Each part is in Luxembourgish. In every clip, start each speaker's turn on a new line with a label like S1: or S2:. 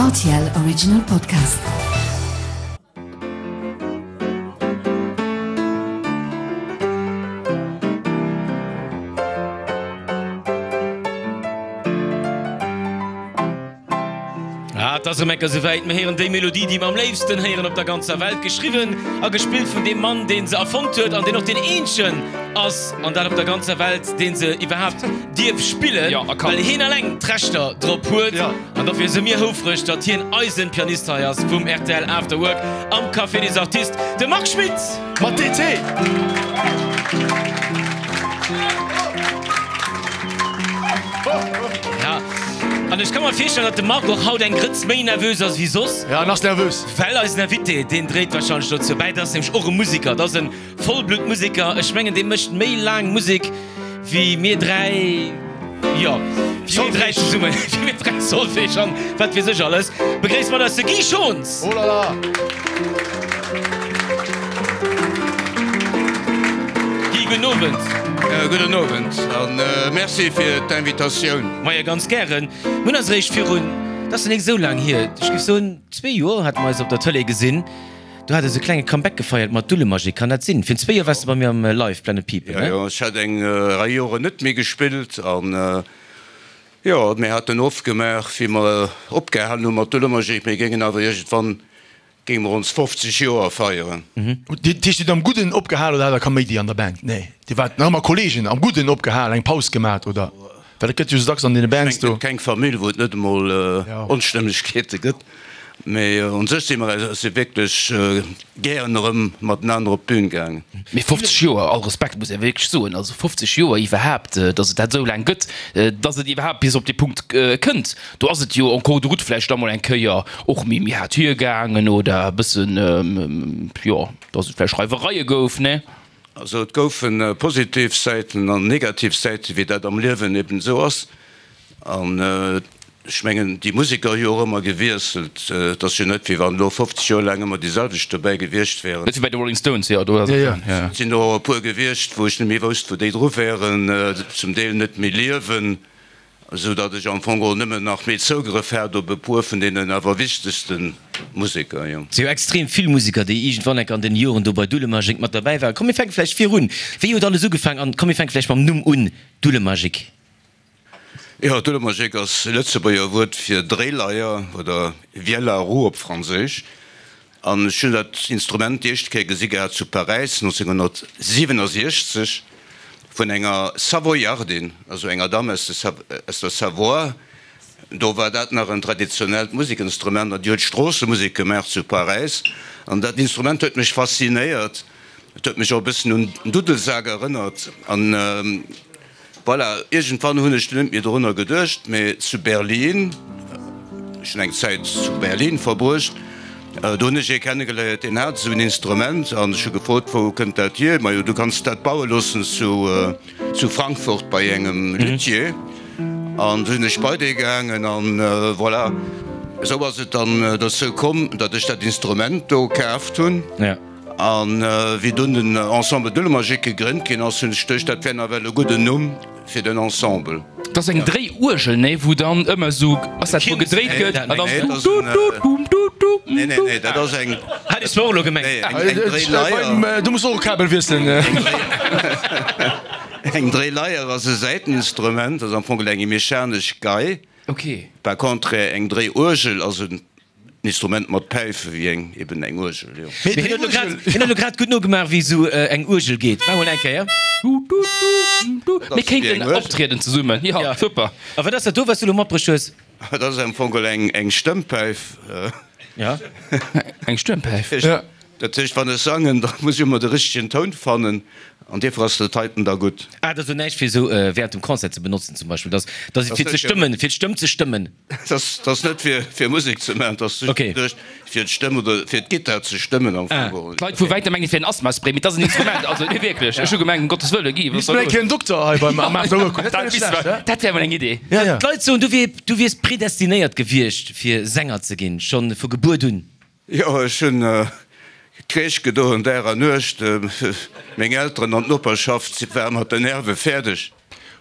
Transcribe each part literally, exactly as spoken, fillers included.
S1: R T L Original Podcast.
S2: Ah, et ass erëm eng Kéier souwäit, mir héieren déi Melodie, déi mer am léifsten héieren op der ganzer Welt, geschriwwen a gespillt vun deem Mann, dee se erfonnt huet an deen och deen eenzegen ass, an dat op der ganzer Welt, dee se iwwerhaapt dierf spillen,
S3: Ja, a kann.
S2: well hien eleng d'Rechter drop huet.
S3: Ja.
S2: An dofir si mir houfreg, datt hien eisen Pianist hei ass vum R T L After Work am Café des Artistes, de Marc Schmitt!
S4: Mat D T!
S2: Ja, an ech ka mer virstellen, datt de Marc och haut eng Grëtz méi nervös ass wéi soss.
S4: Ja, en ass nervös.
S2: Well eisen Invité, deen dréit warscheinlech dozou bäi, dat ass nämlech och e Musiker, dat ass e Vollbluttmusiker. Ech mengen, dee mécht méi laang Musek wéi mir dräi, jo, wéi mir dräi zesummen, wéi mir dräi Solfège an wat weess ech alles. Begréisst mat eis de Guy Schons!
S4: Oh la la!
S2: Guy, gudden Owend.
S5: Gudden Owend a Merci fir d'Invitatioun.
S2: Majo, ganz gären. Mir hunn eis eréischt virun, dat ass nach nik esou laang hier, ech géif soen zwee Joer, hate mer eis op der Tëlee gesinn. Do hat e sou klenge Comeback gefeiert mat Dullemajik, kann dat sinn? Virun zwee Joer waars de bei mir am Live Planet People,
S5: Jo,
S2: ne?
S5: jo, ech hat eng Rei Joren net méi gespillt an jo, mir haten ofgemaach, wéi mer opgehalen hu mat Dullemajik, mir géingen awer iergendwann géinge mer ons fofzeg Joer feieren.
S4: Dat heescht, Dir hutt am Gudden opgehal oder hat der Kaméidi an der Band? Nee, Dir waart nach ëmmer Kolleegen, am Gudden opgehal, eng Paus gemat, oder? Well et gëtt jo sou dacks an deene Bands
S5: Ech mengen,
S4: do.
S5: et gëtt keng Famill, wou et net emol Onstëmmegkeete gëtt. Mee un sech si mer si wierklech gären erëm matenaner op d'Bün gaangen.
S3: Mee fofzeg Joer, all Respekt, muss ee wierklech soen, also fofzeg Joer iwwerhaapt, datt et dat esou laang gëtt, datt et iwwerhaapt bis op dee Punkt kënnt, do ass et jo en cours de route vläicht da mol eng Kéier och méi méi haart hiergaangen oder e bëssen, jo, datt et vläicht Reiwereie gouf, ne?
S5: Also et goufe positiv Säiten an negativ Säiten, wéi dat am Liewen eben esou ass. An ech mengen, déi Museker hu jo och ëmmer gewiesselt. Et ass jo net, wéi wann elo fofzeg Joer laang ëmmer déi selwecht dobäi gewiescht wären.
S3: Net wéi bei de Rolling Stones, jo, do ass et, jo.
S5: Et sinn och e puer gewiescht, wou ech net méi wousst, wou déi dru wären, zum Deel net méi liewen, esou datt ech am Fong geholl nëmmen nach méi Zougrëff hat op e puer vun deenen awer wichtegste Museker, jo.
S2: Et si jo extrem vill Museker, déi iergendwann enk an den Joren do bei Dullemajik mat derbäi waren. Komm mir fänke vläicht virun. Wéi huet alles ugefaangen? An komm mir fänke vläicht mam Numm un, Dullemajik.
S5: Jo, Dullemajik ass e Lëtzebuerger Wuert fir Dréileier oder Vielle à roue op Franséisch. An ech hunn dat Instrument déi éischt Kéier gesi gehat zu Paräis nonzénghonnertsiwennesechzeg vun enger Savoyardin, also enger Damm aus der Savoie. Do war dat nach en traditionellt Musekinstrument an déi huet Stroossemusek gemaach zu Paräis. An dat Instrument huet mech faszinéiert. Et huet mech och e bëssen un den Duddelsak erënnert. An voilà, iergendwann hunn ech dunn net méi dorunner geduecht, mee zu Berlin, ech hunn eng Zäit zu Berlin verbruecht, do hunn ech ee kennegeléiert, deen hat esou en Instrument an ech hu gefrot, wou kënnt dat hier? Majo, du kanns dat baue loossen zu zu Frankfurt bei engem Luthier. An du sinn ech bei dee gaangen an voilà, esou ass et dann dozou komm, datt ech dat Instrument do kaaft hunn. An wéi dunn den Ensemble Dullemajik gegrënnt ginn ass, hunn ech geduecht, dat wär nawell e gudden Numm fir den Ensemble.
S3: Dat ass eng Dréiuergel, nee? Wou dann ëmmer esou, ass dat, wou gedréit gëtt an dann du-du-du-du-du-du.
S5: Nee, nee, nee, dat ass eng.
S2: Hat ech zwar och elo gemengt.
S5: Nee, eng Dréileier.
S4: Du muss och e Kabel wiesselen.
S5: Eng Dréileier ass e Säiteninstrument, ass am Fong eng mechanesch Gei. Par contre, eng Dréiuergel ass en Instrument mat Päife wéi eng, eben eng Uergel, jo.
S2: Mee hien huet elo grad, hien huet elo grad gutt nogemaach wéi esou eng Uergel geet. Maach mol eng Kéier.
S3: Mir kéinten optrieden zesummen, jo, super.
S2: A wat ass dat do, wat s du elo matbruecht hues?
S5: Dat ass am Fong geholl eng, eng Stëmmpäif.
S2: Ja.
S3: Eng Stëmmpäif.
S5: Dat heescht, wann ech sangen, da muss ech ëmmer de richtegen Toun fannen an dierfir ass dat heiten da gutt.
S2: Ah, dat ass elo näischt fir esou während dem Concert ze benotzen zum Beispill, dat ass fir ze stëmmen, fir d'Stëmm ze stëmmen.
S5: Dat ass net fir fir Musek ze maachen, dat ass just geduecht fir d'Stëmm oder fir d'Gittar ze stëmmen am Fong geholl.
S3: D'Leit vu wäitem mengen et wier en Asthmaspray, mee et ass en Instrument, also nee wierklech, ech hu gemengt, um Gottes Wëlle, Guy, wat ass da
S4: Misst mol eng
S3: los?
S4: Kéier en Dokter hei beim am After Work hunn, dat wär net schlecht, he?
S3: Dat wär mol eng Idee.
S4: Ja, ja.
S2: D'Leit soen, du wier, du wiers predestinéiert gewiescht fir Sänger ze ginn, schonn vu Gebuert un.
S5: Jo, ech hunn Kreesch gedoen Dag a Nuecht. Meng Elteren an d'Noperschaft ware mat den Nerve fäerdeg.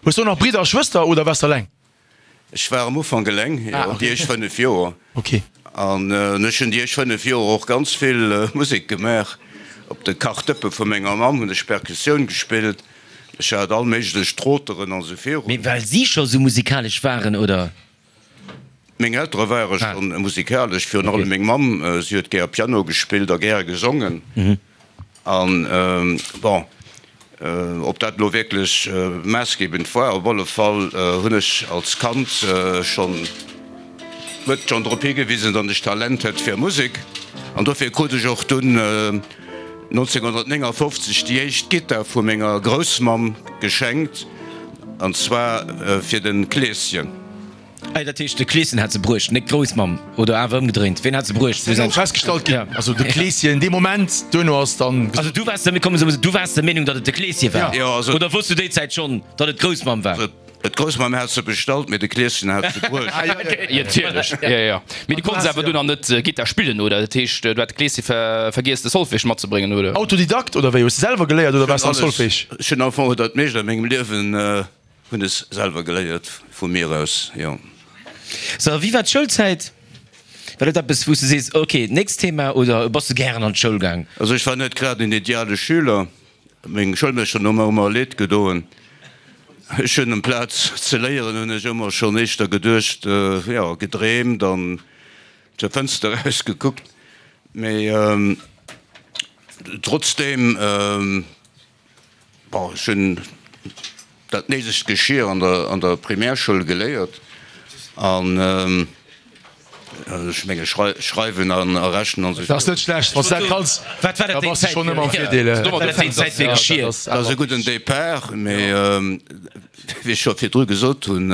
S4: Hues du och nach Bridder a Schwëster oder waars de eleng?
S5: Ech war am Ufank eleng, jo, déi éischt fënnef Joer. An ech hunn déi éischt fënnef Joer och ganz vill Musek gemaach. Op de Kachdëppe vu menger Mamm hunn ech Perkussioun gespillt. Ech hat all méiglech Troteren an esou virun.
S2: Mee well si scho sou musikalesch waren, oder?
S5: Meng Eltere ware schonn musikalesch, virun allem meng Mamm. Si huet gär Piano gespillt a gäre gesongen. An, bon, ob dat elo wierklech maassgebend war, op alle Fall hunn ech als Kand schonn, huet schonn drop higewisen, datt ech Talent hätt fir Musek. An dofir krut ech och dunn nonzénghonnertnéngafofzeg déi éischt Gittar vu menger Groussmamm geschenkt, an zwar fir de Kleeschen.
S2: Ah, dat heescht, de Kleeschen hat se bruecht, net d'Groussmamm, oder awer ëmgedréint? Ween hat se bruecht?
S4: Dat ass festgestallt ginn, also de Kleeschen dee Moment, duerno ass dann.
S2: Also du waars, mir kommen esou, du waars der Meenung, datt et de Kleeschen war?
S5: Jo, also.
S2: Oder wosst du déi Zäit schonn, datt et d'Groussmamm war?
S5: D'Groussmamm hat se bestallt, mee de Kleeschen hat se bruecht.
S3: Jo, natierlech, jo, jo. Mee du konns awer dunn nach net Gittar spillen, oder? Dat heescht, du hat de Kleeschen vergiess, de Solfège matzebréngen, oder?
S4: Autodidakt, oder wéi? Hues de selwer geléiert, oder waars de am Solfège?
S5: Ech hunn am Fong dat meescht a mengem Liewen Hunn es selwer geléiert, vu mir aus, jo.
S2: So, a wéi war d'Schoulzäit? War dat eppes, wou s de sees, ok, nächst Thema, oder bass de gären an d'Schoul gaang?
S5: Also ech war net grad en ideale Schüler. Meng Schoulmeeschteren hu mer ëmmer leed gedoen. Ech hunn amplaz ze léieren, hunn ech ëmmer schonn éischter geduecht, jo, gedreemt an zur Fënster eraus gekuckt. Mee trotzdeem. Bon, ech hunn dat néidegt Geschir an der an der Primärschoul geléiert an ech menge schreiwen an a rechnen an esou.
S4: Dat ass net schlecht, wann s de dat kanns, da bass de schonn ëmmer am Virdeel.
S2: Wat war dat déi Zäit fir Geschir?
S5: Dat ass e gudden Départ, mee wéi ech scho virdru gesot hunn,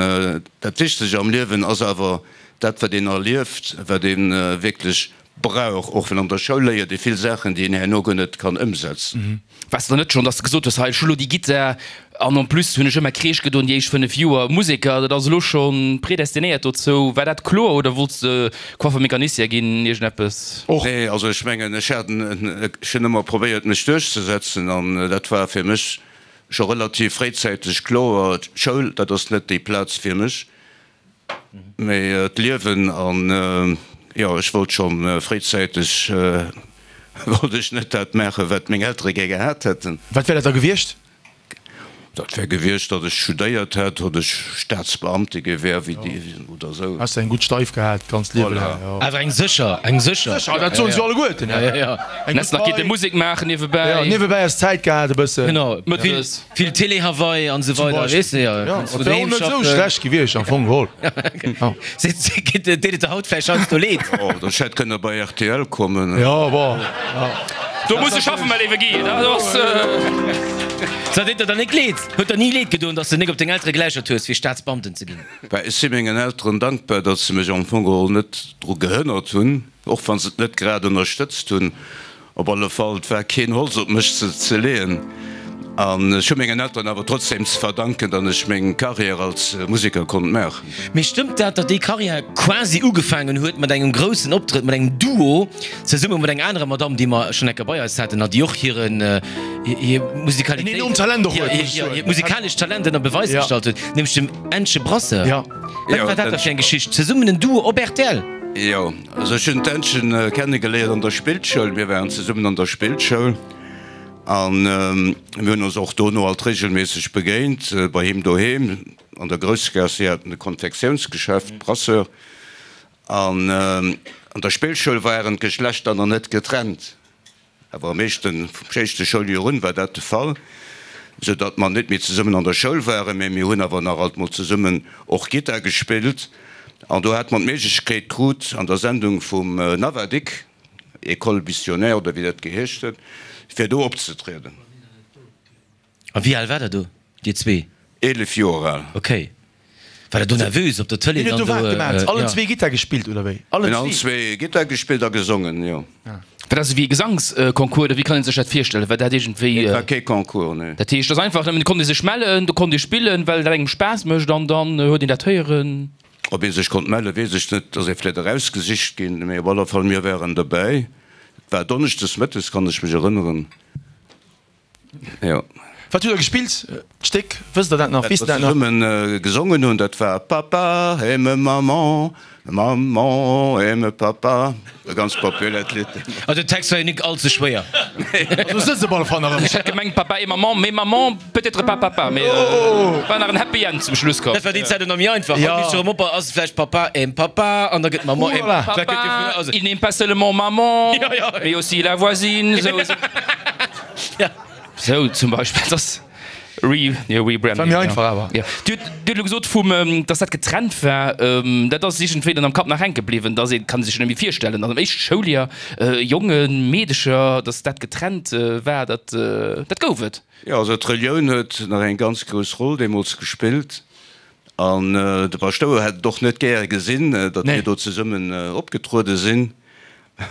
S5: dat Wichtegt am Liewen ass awer dat, wat een erlieft, wat ee wierklech Brauch, och well an der Schoul léiert ee vill Saachen, déi een herno guer net kann ëmsetzen.
S3: Waars de dann net schonn, dass de gesot hues, hei ech hu lo déi Gittar an en plus hunn ech ëmmer Kreesch gedoen déi éischt fënnef Joer, Museker, dat ass elo scho predestinéiert dozou. War dat kloer oder wollts de Coiffer-Mécanicien ginn, iergendeppes?
S4: Och.
S5: Nee, also ech mengen, ech hat en, ech hunn ëmmer probéiert mech duerchzesetzen an dat war fir mech scho relativ fréizäiteg kloer, d'Schoul, dat ass net déi Plaz fir mech. Mee d'Liewen an, jo, ech wollt scho fréizäiteg, wollt ech net dat maachen, wat meng Eltere gär gehat hätten.
S4: Wat wär dat da gewiescht?
S5: Dat wär gewiescht, datt ech studéiert hätt, datt ech Staatsbeamte gi wär, wéi déi, oder esou.
S4: Häss de eng gutt Steif gehat, d'ganzt Liewe laang, jo.
S2: Awer eng sécher, eng sécher.
S4: Sécher, dat soen se jo alleguerten,
S2: jo, jo.
S4: Eng
S3: Häss nach
S4: gutt
S3: kinne
S4: Pai.
S3: Musek maachen niewebäi.
S4: Jo, niewebäi häss Zäit gehat e bëssen.
S2: Genau.
S3: Mëttes.
S2: Vill Télé Hawaii an esou weider, weess de, jo,
S4: Ja,
S2: kanns
S4: dat
S2: vu
S4: wär och
S2: doheem
S4: net esou
S2: schaffen.
S4: schlecht gewiescht am Fong geholl. Ja.
S2: Deet et der haut vläicht heiansdo leed?
S5: Oh, ech hätt kënne bei rtl kommen.
S4: Ja, bon, ja.
S3: Do muss e schaffen, mäi léiwe Guy, dat ass.
S2: So, deet der dann nik leed? Huet der ni leed gedoen, dass de nik op deng Eltere geläuschert hues, fir Staatsbeamten ze ginn?
S5: Bah, ech si mengen Elteren dankbar, datt se mech am Fong geholl net dru gehënnert hunn, och wa se et net grad ënnerstëtzt hunn. Op alle Fall, et war keen Holz op mech ze leeën. An ech hu mengen Elteren awer trotzdem ze verdanken, datt ech meng Carrière als Museker konnt maachen.
S2: Mee stëmmt dat, datt déi Carrière quasi ugefaangen huet mat engem groussen Optrëtt, mat engem Duo, zesumme mat enger anerer Madamm, déi mer schonn eng Kéier bei eis haten a déi och hiren, hir Musikalitéit,
S4: En enormt Talent och huet, muss ech soen.
S2: hiert musikalescht Talent ënner Beweis
S4: Ja.
S2: gestallt huet, nämlech dem Ännche Brasseur?
S4: Ja.
S2: Wat war dat da fir eng Geschicht? Zesummen en Duo op rtl?
S5: Jo, also ech hunn d'Ännchen kennegeléiert an der Spillschoul. Mir waren zesummen an der Spillschoul an mir hunn ons och dono alt regelméisseg begéint bei him doheem an der Groussgaass. Si haten e Konfektiounsgeschäft, Brasseur, an an der Spillschoul waren d'Geschlechter nach net getrennt. Awer am éischten, vum éischte Schouljoer un war dat de Fall, sou datt mer net méi zesummen an der Schoul waren, mä mir hunn awer nach alt mol zesummen och Gittar gespillt. An do hate mer d'Méiglechkeet krut, an der Sendung vum Navadic, École missionnaire oder wéi dat geheescht huet, fir do opzetrieden.
S2: A wéi al war der do, dir zwee?
S5: Eelef Joer al.
S2: Ok. War der do nervös op der Tëlee
S4: Hien huet
S2: dann
S4: do wat
S2: do?
S4: gemaat? Allen
S2: Ja.
S4: zwee Gittar gespillt oder wéi? Allen
S5: Mir hunn allen
S4: zwee?
S5: zwee Gittar gespillt a gesongen, jo.
S3: War dat esou wéi e Gesangsconcours oder wéi kann ee sech dat virstellen? War dat iergendwéi.
S5: Et war kee Concours, nee.
S3: Dat heescht, et ass einfach nëmmen, et konnt ee sech mellen, do konnt ee spillen, well dat engem Spaass mécht an dann huet een dat héieren.
S5: Ob ee sech konnt mellen, weess ech net. Ass ee vläicht erausgesicht ginn, mee op alle Fall, mir waren dobäi. Et war donneschdes mëttes, kann ech mech erënneren, jo.
S4: Wat hutt der gespillt? D'Stéck, wësst der dat nach?
S5: Wat mer zesummen gesongen hunn, dat war Papa aime maman, maman aime papa. E ganz populäert Lidd.
S2: Also den Text war jo nik all ze schwéier.
S4: Also sëtzt op alle Fall nach ëmmer.
S3: Ech hätt gemengt Papa et maman, mais maman peut-être pas papa, mais war nach en Happy End zum Schluss komm.
S2: Dat war déi Zäit och nach méi einfach. Haut misst jo erëm op, ass et vläicht Papa aime papa an da gëtt maman aime.
S3: Papa, il n'aime pas seulement maman, mais aussi la voisine. Sou zum Beispill, dat ass re, jo, rebranding.
S4: War méi einfach awer.
S3: Jo. Dir hutt, Dir hutt elo gesot vum, dass dat getrennt war. Dat ass iergendwéi dann am Kapp nach hänke bliwwen, dass ee kann sech net méi virstellen, dass am éischte Schouljoer Jongen, Meedecher, dass dat getrennt war. Dat, dat gouf et.
S5: Jo, also d'Relioun huet nach eng ganz grouss Roll deemools gespillt. An de Paschtouer hätt et och net gäre gesinn, datt mir do zesummen opgetruede sinn,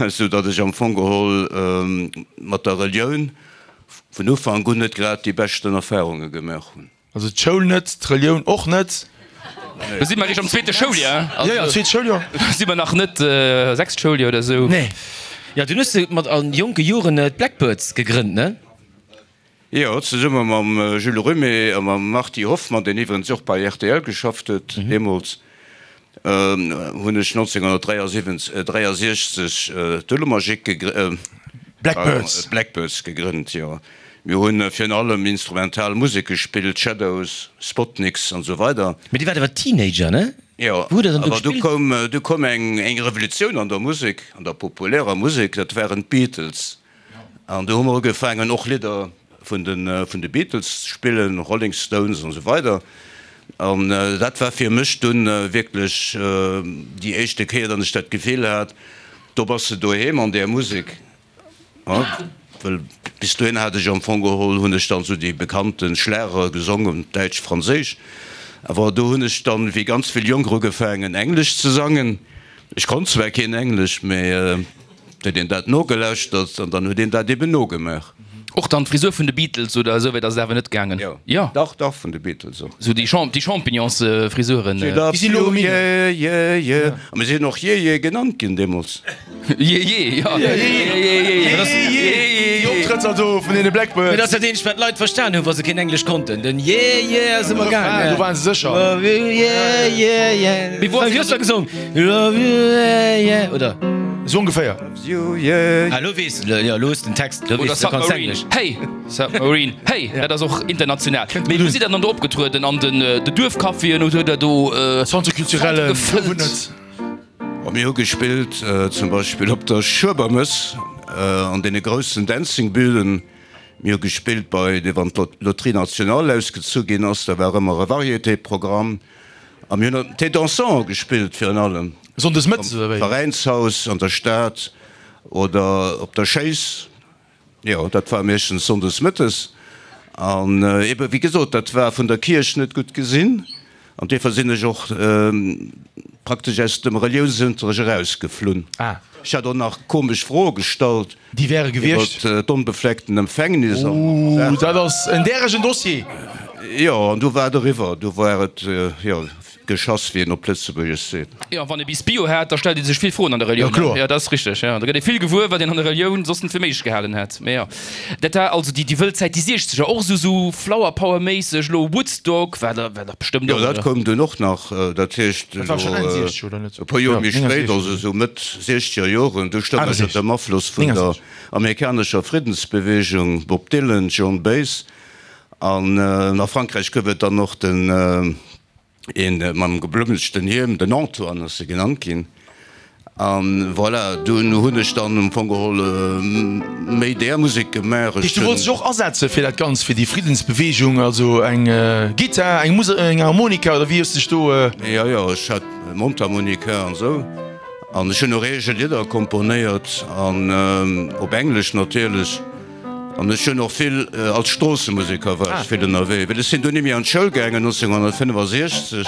S5: sou datt ech am Fong geholl mat der Relioun vun Ufank un net grad déi beschten Erfahrunge gemaach hunn.
S4: Also d'Schoul net, d'Relioun och net.
S3: Do si mer eréischt am zweete Schouljoer.
S4: Jo, jo, zweet Schouljoer.
S3: Do si mer nach net sechst Schouljoer oder sou.
S2: Nee. Jo, dunn hues de mat a jonke Joren d'Blackbirds gegrënnt, ne?
S5: Jo, zesumme mam Jules Rümmé a mam Marty Hoffmann, deen iwwregens och bei rtl geschafft huet deemools, hunn ech nonzénghunnertdräiasiwwenzeg d'Dullemajik
S4: Blackbirds.
S5: Blackbirds gegrënnt, jo. Mir hunn virun allem instrumental Musek gespillt, Shadows, Spotnicks an esou weider.
S2: Mee dir waart awer Teenager, ne?
S5: Jo,
S2: Wou hutt der dann do
S5: awer du
S2: gespillt?
S5: koum, du koum eng Revolutioun an der Musek, an der populärer Musek, dat waren d'Beatles. An do hu mer ugefaangen och Lidder vun de vun de Beatles ze spillen, Rolling Stones an esou weider. An dat war fir mech dunn wierklech déi éischte Kéier, datt ech dat Gefill hat, do bass de doheem an där Musek. Well bis dohin hat ech am Fong geholl, hunn ech dann esou déi bekannte Schlagere gesongen, däitsch, franséisch. Awer do hunn ech dann, wéi ganz vill Jonker, ugefaangen Englesch ze sangen. Ech konnt zwar keen Englesch, mä huet een dat nogelauschtert an dann huet een dat eben nogemaach.
S3: Och dann d'Frisur vun de Beatles oder esou wäit ass et awer net gaangen?
S5: Jo,
S3: Jo.
S5: dach, dach, vun de Beatles och.
S3: Esou déi Champ, déi Champignons-Frisuren.
S5: She loves
S4: Déi sinn elo
S5: you,
S4: erëm in.
S5: yeah, yeah, yeah. A mir sinn och Yeah, yeah genannt ginn deemools.
S3: Yeah, yeah, jo. Yeah, yeah, yeah.
S4: Yeah, yeah. Déi Optrëtter do vun deene
S2: Mee dat
S4: Blackbirds.
S2: ass dat eenzegt, wat d'Leit verstan hunn, wa se keen Englesch konnten. Den Yeah, yeah ass ëmmer gaangen.
S4: Do waren se sécher.
S2: Love you, yeah, yeah, yeah.
S3: Mee wou ass
S2: Wéi hues du dat gesong? Love you, yeah, yeah, oder?
S4: Esou ongeféier.
S2: Ah, lo weess de, jo, lo hues de den Text, lo
S3: Oder
S2: weess de, du kanns
S3: Submarine,
S2: Englesch.
S3: hey, Submarine, hey, dat ass och international. Mee wou sidd der dann do opgetrueden? An den Duerfcaféen oder huet der do
S4: Centre culturel
S3: gefëllt?
S5: Oh, mir hu gespillt zum Beispill op der Schuebermëss, an deene groussen Dancing-Bühnen. Mir hu gespillt bei, wann d'Loterie Nationale ausgezu ginn ass, da war ëmmer e Variété-Programm. A mir hunn am Thé dansant gespillt virun allem.
S4: Sonndes mëttes oder wéi?
S5: Am Veräinshaus an der Stad oder op der Schéiss. Jo, dat war meeschtens sonndes mëttes. An ebe wéi gesot, dat war vun der Kierch net gutt gesinn. An duerfir sinn ech och praktesch aus dem Reliounsunterrecht erausgeflunn. Ech hat och nach komesch Froe gestallt.
S4: Déi wäre gewiescht?
S5: Iwwer d'onbefleckten Empfängnis an
S4: Ooh,
S5: Saachen.
S4: dat ass en däregen Dossier!
S5: Jo, an du war et eriwwer. Du war et, jo, geschass, wéi een op Lëtzebuergesch seet.
S3: Jo, wann ee bis Bio hat, da stellt ee sech vill Froen an der Relioun.
S4: Jo, kloer.
S3: Jo, dat ass richteg. Jo, da gëtt ee vill gewuer, wat een an der Relioun soss net fir méiglech gehalen hätt. Mee jo, dat war also déi, déi wëll Zäit, déi Siechzeger, och esou, esou Flower Power-méisseg, elo Woodstock war da, war dach bestëmmt
S5: Jo,
S3: och,
S5: dat
S3: oder?
S5: koum dunn och nach. Dat heescht,
S4: Dat war schonn
S5: elo
S4: Enn Siechzeger, oder net?
S5: e puer Joer
S4: Jo,
S5: méi spéit,
S4: néngensechzeg.
S5: also esou Mëtt Siechzeger Joren, du stoung ech ënner dem Afloss vun der
S4: néngensechzeg.
S5: amerikanescher Friddensbeweegung, Bob Dylan, Joan Baez. An a Frankräich gouf et dann och den, een mam geblummelchten Hiem, den Antoine ass e genannt ginn. An voilà, dunn hunn ech dann am Fong geholl méi där Musek gemaach.
S4: Heescht,
S5: Ech
S4: du wollts
S5: hunn.
S4: dech och asetze fir dat Ganzt, fir déi Friddensbeweegung, also eng Gittar, eng Muse, eng Harmonika oder wéi hues de dech do.
S5: Jo, jo, ech hat Mondharmonika an esou. An ech hunn och eege Lidder komponéiert an op Englesch natierlech. An ech hunn och vill, als Stroossemuseker war ech vill ënnerwee, well ech sinn dunn nimmi an d'Schoul gaangen nonzénghunnertfënnefasechzeg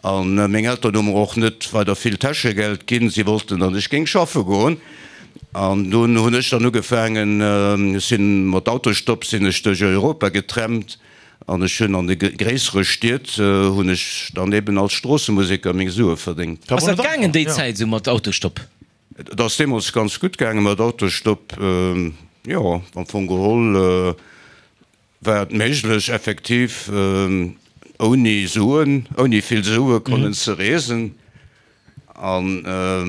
S5: a meng Eltern hu mer och net weider vill Täschegeld ginn, si wollten, datt ech géing schaffe goen. An dunn hunn ech dann ugefaangen, ech sinn mat Autostopp sinn ech duerch Europa getrennt an ech hunn an de gréissere Stied hunn ech dann eben als Stroossemuseker meng Sue verdéngt.
S2: Ass dat gaangen déi Zäit esou mat Autostopp?
S5: Et ass deemools ganz gutt gaange mat Autostopp, jo, am Fong geholl war et méiglech effektiv ouni Suen, ouni vill Sue konnen ze reesen. An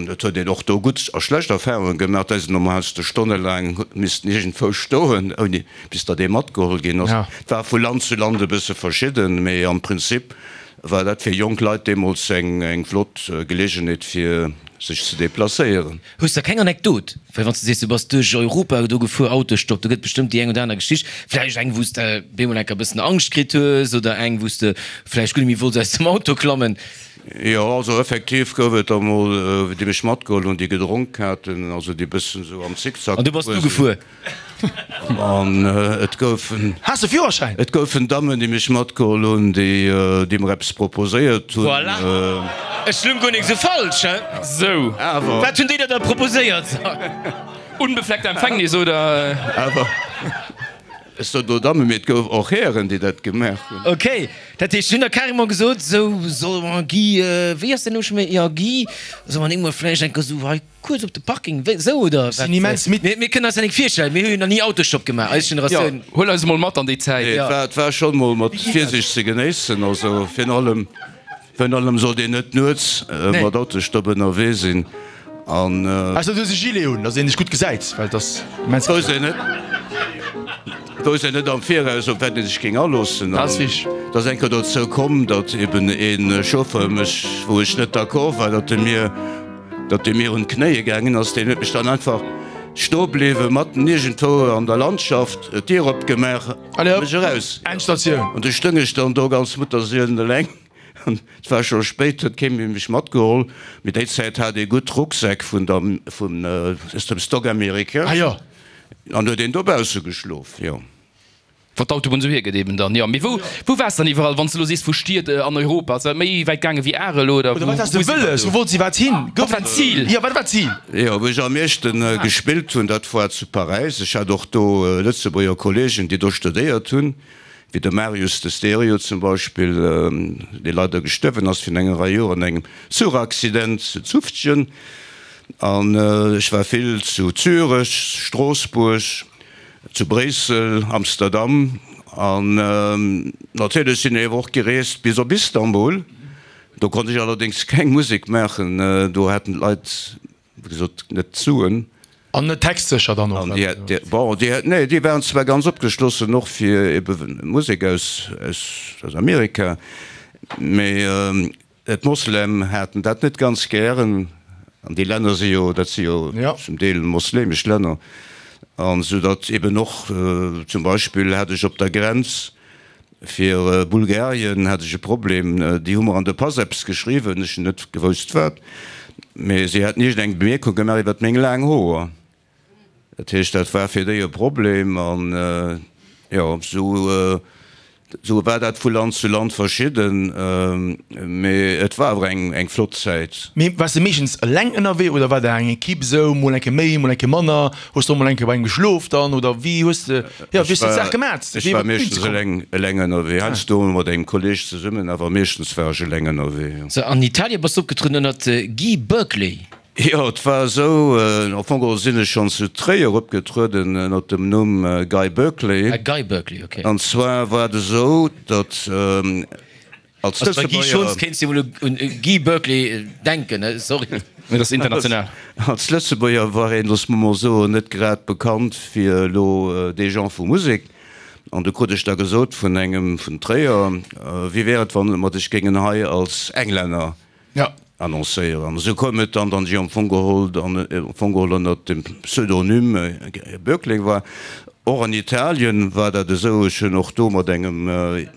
S5: et huet een och do gutt a schlecht Erfahrunge gemaach. Da sinn emol heiansdo stonnelaang missten iergendwou stoen, ouni bis datt ee matgeholl ginn ass. Et war vu Land zu Land e bësse verschidden, mee am Prinzip war dat fir jonk Leit deemools eng flott Geleegenheet fir sech ze deplacéieren.
S2: Hues de keng Anekdot? Well wann s de sees, du bass duerch Europa do gefuer, Autostopp, do gëtt bestëmmt déi eng oder aner Geschicht. Vläicht eng, wou s de bemol enker e bëssen Angscht kritt hues oder eng, wou s de vläicht guer net méi wollts aus dem Auto klammen.
S5: Jo, also effektiv gouf et der mol, déi mech matgeholl hunn, déi gedronk haten, also déi bëssen esou am Zickzack
S2: An du bass du gefuer?
S5: An et goufen.
S4: Has de Führerschäin?
S5: Et goufen Dammen, déi mech matgeholl hunn, déi, déi mer eppes proposéiert hunn.
S2: Voilà! Ech lung guer nik esou falsch, hein?
S3: Sou.
S5: Awer.
S2: Wat hunn déi der da proposéiert?
S3: Unbefleckte Empfängnis, oder?
S5: Awer. Ech sot elo Dammen, mee et gouf och Hären, déi dat gemaach hunn.
S2: Ok, dat heescht, si hunn der carrément gesot, sou, solle mer Guy, wéi ass däin Numm scho méi, jo Guy, solle mer nik mol vläicht eng Kéier sou hei kuerz op de Parking, wéi, sou oder wat?
S4: Sinn immens midd.
S2: Mir, mir kënnen eis dat nik virstellen, mir hu jo nach ni Autostopp gemaach, eis Generatioun.
S3: Jo, huel eis emol mat an déi Zäit.
S5: Nee, et war, et war schonn mol mat Virsicht ze genéissen, also virun allem, virun allem sollt een net nuets mat Autostopp ënnerwee sinn. An.
S4: Ausser du hues e Gilet un, dass een dech gutt gesäit, well et ass immens.
S5: Wousst een net, wousst een net am Viraus, op wat ee sech géing aloossen.
S4: Dat ass wichteg.
S5: Et ass eng Kéier dozou komm, datt eben ee Chauffeur mech, wou ech net d'accord war, datt e mir, datt e mir un d'Knéie gaangen ass. Deen huet mech dann einfach stoe bliwwe matten iergendwou an der Landschaft, d'Dier opgemaach a mech eraus.
S4: Endstatioun.
S5: An du stoung ech dann do ganz mutterseeleneleng. Et war scho spéit, huet kee méi mech matgeholl, mee déi Zäit hat ee gutt Rucksäck vun der, vun, aus dem Stock américain.
S4: Ah jo.
S5: An huet een dobausse geschlof, jo.
S3: Wann d'Autobunn esou hiergëtt eben dann, jo. Mee wou, wou waars dann iwwerall, wann s de elo sees vu Stied an Europa? Ass dat méi wäit gaange wéi Arel oder
S4: Oder
S3: wou,
S4: wat has de
S3: wou si mer
S4: wëlles?
S3: do?
S4: Wou wollt si wat hin?
S3: Wat war d'Zil?
S4: Jo, wat war d'Zil?
S5: Jo, wou ech am meeschte gespillt hunn, dat war zu Paräis. Ech hat och do Lëtzebuerger Kollegen, déi do studéiert hunn. Wéi de Marius de Stereo zum Beispill, dee leider gestuerwen ass virun enger Rei Joer an engem Zuchaccident zu Zufftgen. An ech war vill zu Zürech, Stroossbuerg, zu Bréissel, Amsterdam an natierlech sinn ech awer och gereest bis op Istanbul. Do konnt ech allerdéngs keng Musek maachen, do haten d'Leit wéi gesot net d'Suen.
S4: An net textsécher dann och?
S5: An déi, déi, bon, déi, nee, déi waren zwar ganz opgeschlossen och fir ebe Musek aus, aus, aus Amerika, mee d'Moslem haten dat net ganz gären. An déi Länner si jo, dat si jo zum Deel moslemesch Länner. An esou datt eben och zum Beispill hat ech op der Grenz fir Bulgarien hat ech e Problem, déi hu mer an de Pass eppes geschriwwen, ech hunn net gewousst wat, mee si haten iergend eng Bemierkung gemaach iwwert meng laang Hoer. Dat heescht, dat war fir déi e Problem an jo, esou esou war dat vu Land zu Land verschidden, mee et war awer eng eng flott Zäit.
S4: Mee waars de meeschtens eleng ënnerwee oder war der eng Equipe esou, mol eng Kéier méi, mol eng Kéier manner? Hues de och mol eng Kéier bei engem geschlof dann oder wéi hues de, jo, wéi hues de d'Saach gemat,
S5: Ech
S4: fir
S5: war
S4: iwwer d'Bün ze
S5: meeschtens
S4: kommen?
S5: eleng eleng ënnerwee, heiansdo mat engem Kolleeg zesummen, awer meeschtens war ech eleng ënnerwee, jo.
S2: Sou, an Italien bass de opgetrueden ënnert Guy Berkeley.
S5: Jo, et war esou, am Fong geholl sinn ech schonn zu Tréier opgetrueden ënnert dem Numm Guy Berkeley.
S2: Ah, Guy Berkeley, ok.
S5: An zwar war et esou, datt als
S2: Also bei Guy Schons
S5: Lëtzebuerger.
S2: kéints de wuel un Guy Berkeley denken, ne? Sorry.
S3: Mee dat ass international.
S5: Als Lëtzebuerger war een, loosse mer mol soen, net grad bekannt fir elo dee Genre vu Musek. An du krut ech da gesot vun engem vun Tréier, Wéi wär et, wann mer dech géingen hei als Englänner annoncéieren. An esou koum et dann, datt ech am Fong geholl dann am Fong geholl ënnert dem Pseudonym Böckling war. Och an Italien war dat esou, ech hunn och do mat engem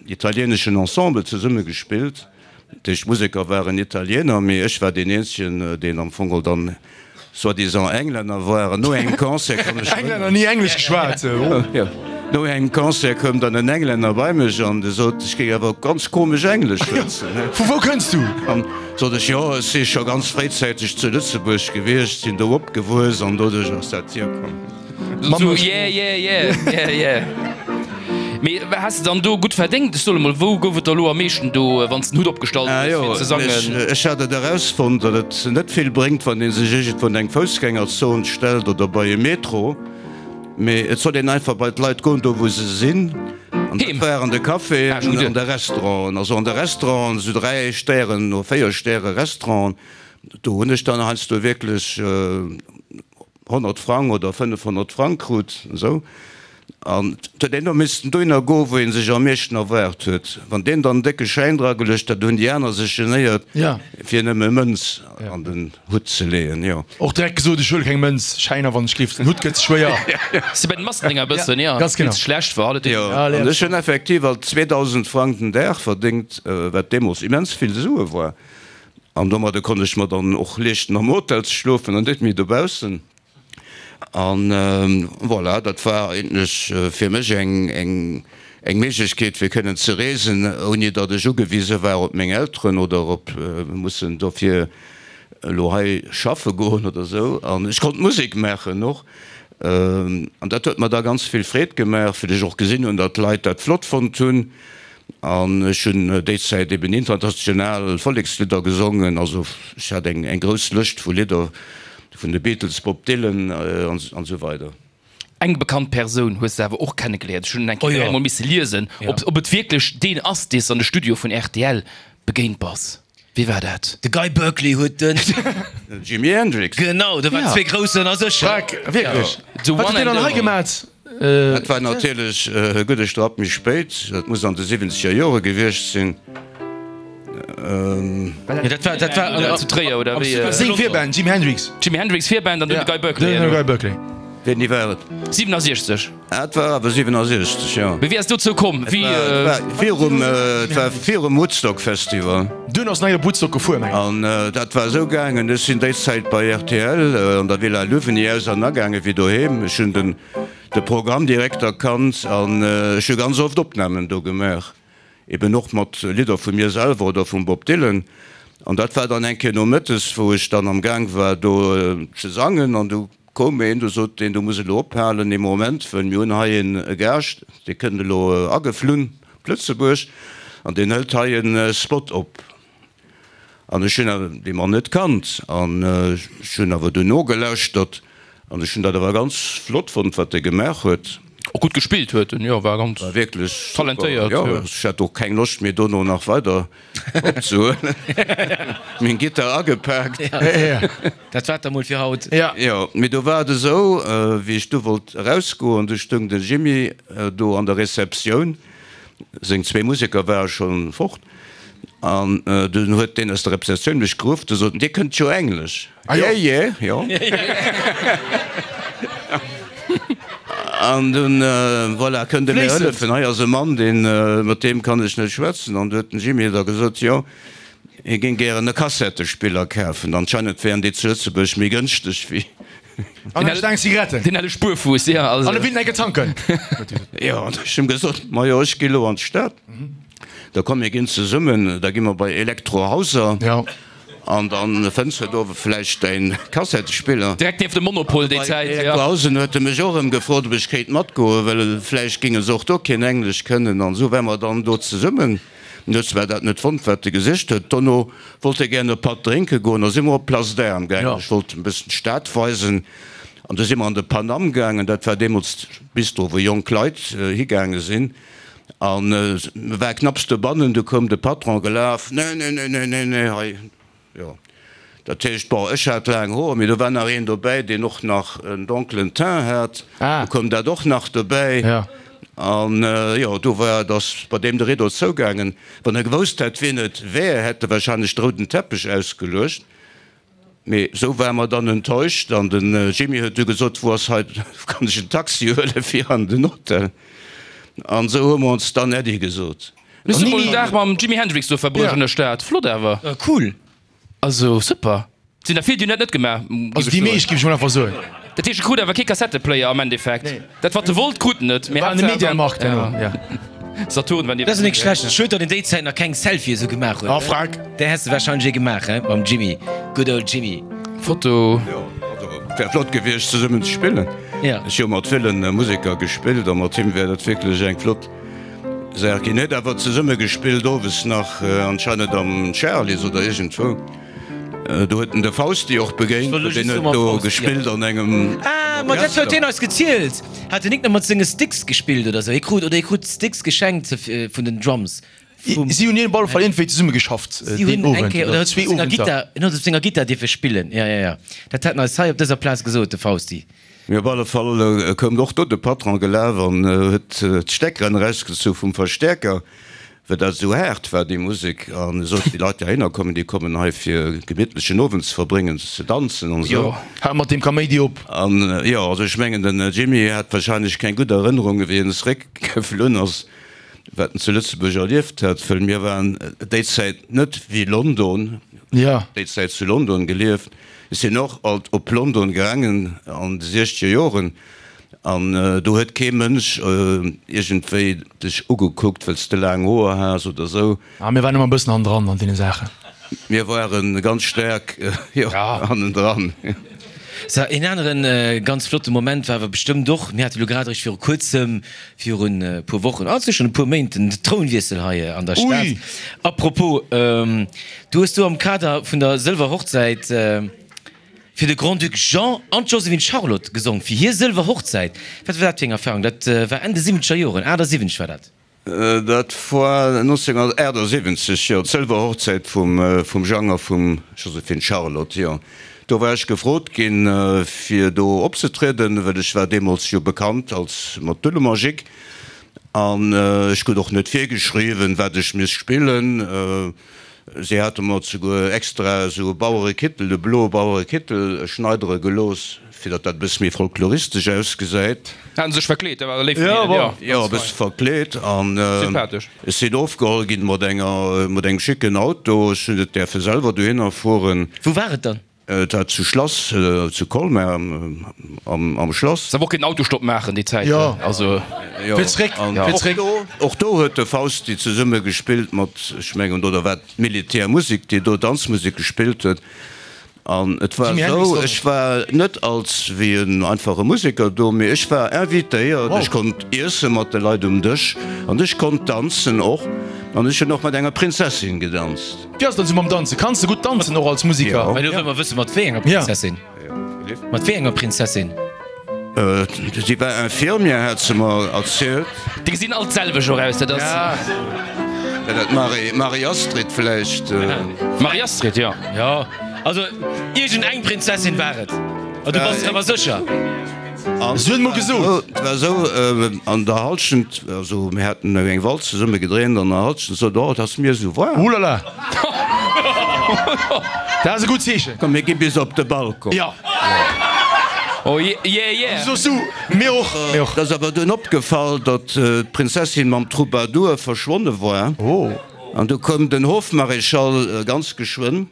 S5: italieneschen Ensemble zesumme gespillt. Dat heescht, d'Museker waren Italiener, mee ech war deen eenzegen, deen am Fong geholl dann soi-disant Englänner war. An no engem Concert kann ech
S4: Englänner ni Englesch geschwat.
S5: Jo. No engem Concert koum dann en Englänner bei mech an de sot, ech géing awer ganz komesch Englesch schwätzen.
S4: Vu wou kënns du?
S5: An sot ech, jo, ech si scho ganz fréizäiteg zu Lëtzebuerg gewiescht, sinn do opgewuess an doduerch ass dat hierkomm.
S3: Sou, yeah, yeah, yeah, yeah, yeah. Mee has de dann do gutt verdéngt? Ech soe mol, wou gouf et der elo am meeschten do, wann s den Hutt opgestallt
S5: Ah
S3: hues,
S5: jo,
S3: fir ze sangen?
S5: ech hat et erausfonnt, datt et net vill bréngt, wann ee sech iergendwou an eng Foussgängerzon stellt oder bei e Metro. Mee et soll een einfach bei d'Leit goen, do wou se sinn. An dat war an de Caféen, an de Restauranten. Also an de Restauranten, esou dräi Stären oder véier Stäre Restauranten, do hunn ech dann heiansdo wierklech honnert Frang oder fënnefhonnert Frang krut, esou. An et huet een och missten dohinner goen, wou ee sech am meeschten erwaart huet. Wann deen dann en décke Schäin drageluecht hat, hunn déi aner sech genéiert, fir nëmme Mënz an den Hutt ze leeën, jo.
S4: Och direkt gesot, ech huele keng Mënz, Schäiner, wann ech giff, den Hutt gëtt ze schwéier.
S3: Si bei den Massendinger e bëssen, jo,
S4: Ganz genau.
S3: Wéi et schlecht war.
S5: Jo, an ech hunn effektiv alt zweedausend Frang den Dag verdéngt, wat deemools immens vill Sue war. An domadder konnt ech mer dann och leeschten, am Hotel ze schlofen an net méi dobaussen. An voilà, dat war eigentlech fir mech eng eng Méiglechkeet fir kënnen ze reesen, ouni datt ech ugewise war op meng Elteren oder op mussen dofir elo hei schaffe goen oder esou. An ech konnt Musek maachen och. An dat huet mer da ganz vill Freed gemaach, wéi ech och gesinn hunn, datt d'Leit dat flott fonnt hunn. An ech hunn déi Zäit eben international Vollekslidder gesongen. Also ech hat eng eng grouss Lëscht vu Lidder vun de Beatles, Bob Dylan an esou weider.
S3: Eng bekannt Persoun hues de awer och kennegeléiert. Ech hunn eng Kéier emol misse liesen, ob et wierklech deen ass, dee s de an de Studio vun rtl begéint bass. Wee war dat?
S2: De Guy Berkeley huet den.
S5: Jimi Hendrix.
S2: Genau, do waren zwee Groussen a sech.
S4: Fuck, wierklech? Wat huet deen dann hei gemat?
S5: Dat war natierlech e gudde Strapp méi spéit, dat muss an de siwwenzeger Jore gewiescht sinn.
S2: Jo, dat war, dat war
S3: zu Tréier, oder wéi?
S4: Seng Virband, Jimi Hendrix.
S3: Jimi Hendrix Virband an dunn de Guy Berkeley.
S4: Dunn de Guy Berkeley.
S5: Wéini war et?
S3: siwenasiechzeg.
S5: Ah, et war awer siwenasiechzeg, jo.
S3: Mee wéi ass et dozou komm? Wéi?
S5: Et war virum, et war virum Woodstock Festival.
S4: Dunn ass en nach op Woodstock gefuer, mengen ech.
S5: An dat war esou gaangen, ech sinn déi Zäit bei rtl an der Villa Louvigny aus an agaange wéi doheem. Ech hunn den, de Programmdirekter kannt an ech hu ganz oft Opnamen do gemaach, eben och mat Lidder vu mir selwer oder vum Bob Dylan. An dat war dann eng Kéier nomëttes, wou ech dann am Gaang war do ze sangen an du koum een, du sot deen, du muss elo ophalen ee Moment, wëll mir hunn hei een e Gaascht, dee kënnt elo ageflunn op Lëtzebuerg an deen hëlt hei e Spot op. An ech hunn awer dee Mann net kannt an ech hunn awer dunn nogelauschtert an ech hunn dat awer ganz flott fonnt, wat e gemaach huet.
S3: Och gutt gespillt huet en, jo, war ganz
S5: War wierklech super,
S3: talentéiert,
S5: jo.
S3: jo.
S5: Ech hat och keng Loscht méi dono nach weider opzehuelen. Meng Gittar agepaakt.
S2: Dat war et da mol fir haut.
S5: Jo, mee do war et esou, wéi ech du wollt erausgoen, du stoung den Jimmy do an der Receptioun, seng zwee Museker ware schonn fort, An dunn huet deen aus der Receptioun mech geruff, du sot en, Dir kënnt jo Englesch? Yeah, yeah, jo. An dunn, voilà, kënnt Der mir hëllefen? Hei ass e Mann, deen, mat deem kann ech net schwätzen. An du huet den Jimmy da gesot, jo, hie géing gären e Kassettespiller kafen. Anscheinend wären déi zu Lëtzebuerg méi gënschteg wéi.
S4: An eng Staang Zigaretten.
S3: Deen helle Spuerfuuss, jo.
S4: An e willen enke tanken.
S5: Jo, an ech hunn gesot, majo, ech gi lo an d'Stad. Da komm mir ginn zesummen, da gi mer bei Elektro Hauser an dann fënns de do vläicht däin Kassettespiller.
S3: Direkt nieft dem Monopol déi Zäit,
S5: jo. Bei Elektro Hausen huet e mech och erëm gefrot, ob ech kéint matgoen, well vläicht géinge se och do keen Englesch kënnen. An esou ware mer dann do zesummen. En huet zwar dat net fonnt, wat e gesicht huet. Dono wollt e gären e Patt drénke goen. Da si mer op d'Place d'Armes gaangen. Ech wollt em e bëssen d'Stad weisen. An du si mer an de Pan Am gaangen. Dat war deemools Bistro, wou jonk Leit higaange sinn. An e war knapps dobannen, du koum de Patron gelaf, Nee, nee, nee, nee, nee, nee, hei, jo. Dat heescht, bon, ech hat laang Hoer, mee do war nach een dobäi, deen och nach en donkelen Teint hat, du koum dat och nach dobäi. An, jo, du war, et ass bei deem de Rideau zougaangen. Wann e gewousst hätt, wien et wär, hätt e wahrscheinlech de rouden Teppech ausgeluecht. Mee sou ware mer dann enttäuscht an den Jimmy huet du gesot, wou ass hei, wou kann ech en Taxi huelen fir an den Hotel? An sou hu mer ons dann Äddi gesot.
S3: Hues du mol en Dag mam Jimi Hendrix do verbruecht an der Stad? Flott awer.
S2: Cool.
S3: Also super. Sinn der vill déi hunn dat net gemaach,
S4: Also déi meescht, géif ech mol einfach soen.
S3: Dat heescht e krut awer kee Kassetteplayer am Endeffekt. Dat wat e wollt krut en net, mee
S4: War an de
S3: Haaptsaach
S4: Mediamarkt herno, ja.
S3: Saturn war
S2: Dat ass nik schlecht. Schued datt een déi Zäit nach keng Selfie esou gemaach huet.
S4: Ah Frank.
S2: Där häss de wahrscheinlech ee gemaach he mam Jimmy, good old Jimmy.
S3: Foto.
S5: Jo, also wär flott gewiescht zesummen ze spillen.
S2: Ja.
S5: Ech hu mat villen Museker gespillt a mat him wär dat wierklech eng flott Saach ginn. Huet awer zesumme gespillt owes nach anscheinend am Charly's oder iergendwou. Do huet en de Fausti och begéint, deen huet do gespillt an engem
S2: Ah, ma dat huet hien eis gezielt. Hat den Nick nach mat senge Sticks gespillt oder sou? Hie krut, oder hie krut Sticks geschenkt vun den Drums.
S4: Vum. Si hunn op alle Fall iergendwéi zesumme geschafft deen Owend
S2: oder zwee Owenter. En huet op senger Gittar dierfe spillen, jo, jo, jo. Dat hat en eis hei op dëser Plaz gesot, de Fausti.
S5: Mee op alle Fall koum och do de Patron gelaf an huet d'Steckeren erausgezu vum Verstäerker, well dat esou haart war, déi Musek. An e sot, déi Leit, déi heihinner kommen, déi kommen hei fir e gemittlechen Owend ze verbréngen, ze danzen an esou.
S4: Hal mat deem Kaméidi op!
S5: An jo, also ech mengen, den Jimmy hat wahrscheinlech keng gutt Erënnerungen, wéi en zeréckgeflunn ass. Wat en zu Lëtzebuerg erlieft hat, wëll mir waren déi Zäit net wéi London, déi Zäit zu London gelieft. Ech sinn och alt op London gaangen an de siechzeger Joren an do huet kee Mënsch iergendwéi dech ugekuckt, wëll s de laang Hoer has oder esou.
S4: Ah, mir waren ëmmer e bëssen hannendran an deene Saachen.
S5: Mir ware ganz staark, jo, hannendran.
S2: Sou, een aneren ganz flotte Moment war awer bestëmmt och, mir hate lo grad eréischt viru kuerzem, virun e puer Wochen, ah, et si schonn e puer Méint, den Trounwiessel hei an der Stad. A propos, du hues do am Kader vun der Sëlwerhochzäit fir de Grand-Duc Jean an d'Joséphine Charlotte gesong, fir hir Sëlwerhochzäit. Wat war dat fir eng Erfahrung? Dat war Enn de siwwenzeger Joren, achtasiwwenzeg war dat.
S5: Dat war nonzénghunnertaachtsiwwenzeg, jo, d'Sëlwerhochzäit vum Jang a vum Joséphine Charlotte, jo. Do war ech gefrot ginn, fir do opzetrieden, well ech war deemools jo bekannt als mat Dullemajik an ech krut och net virgeschriwwen, wat ech misst spillen. Si hate mer souguer extra esou e Bauerekittel, e bloe Bauerekittel schneidere gelooss, fir datt dat e bësse méi folkloristesch ausgesäit.
S3: Haten sech verkleet, dat war léif vun hinnen, jo.
S5: Jo, e bësse verkleet. An ech sinn ofgeholl ginn mat enger, mat engem schicken Auto. Ech hunn net däerfe selwer dohinner fueren.
S2: Wou war et dann?
S5: Et war zu Schlass, zu Colmar am Schlass.
S3: Se awer och keen Autostopp maachen déi Zäit.
S4: Jo,
S3: also
S4: fir zréck, fir zréck.
S5: Och do huet de Fausti zesumme gespillt mat, ech mengen, oder war d'Militärmusek, déi do Danzmusek gespillt huet. An et war esou, ech war net als wéi en einfache Museker do, mee ech war invitéiert, ech konnt iesse mat de Leit um Dësch an ech konnt danzen och. An ech hunn och mat enger Prinzessin gedanzt.
S4: Wéi ass dat esou mam Danzen? Kanns de gutt danzen och als Musiker?
S2: Mä elo wëlle mer wëssen, mat wéi enger Prinzessin? Mat wéi enger Prinzessin?
S5: Si war Infirmière, hat se mer erzielt.
S3: Déi gesinn all d'selwecht och aus, dat ass.
S5: War dat d'Marie, Marie-Astrid vläicht?
S3: Marie-Astrid, jo.
S2: Jo, also iergend eng Prinzessin war et. A du bass der awer sécher?
S4: Si huet mol gesot.
S5: Et war esou, an der Halschent, also mir haten eng Walz zesumme gedréint, an der Halschent sot, Oh, et ass mir esou waarm.
S4: Oulala! Dat ass e gutt Zeechen.
S5: Komm, mir gi bis op de Balcon.
S4: Jo.
S3: Oh yeah, yeah!
S4: Soss du, mir och, mir och.
S5: Et ass awer dunn opgefall, datt d'Prinzessin mam Troubadour verschwonne war.
S4: Oh.
S5: An du koum den Hofmaréchal ganz geschwënn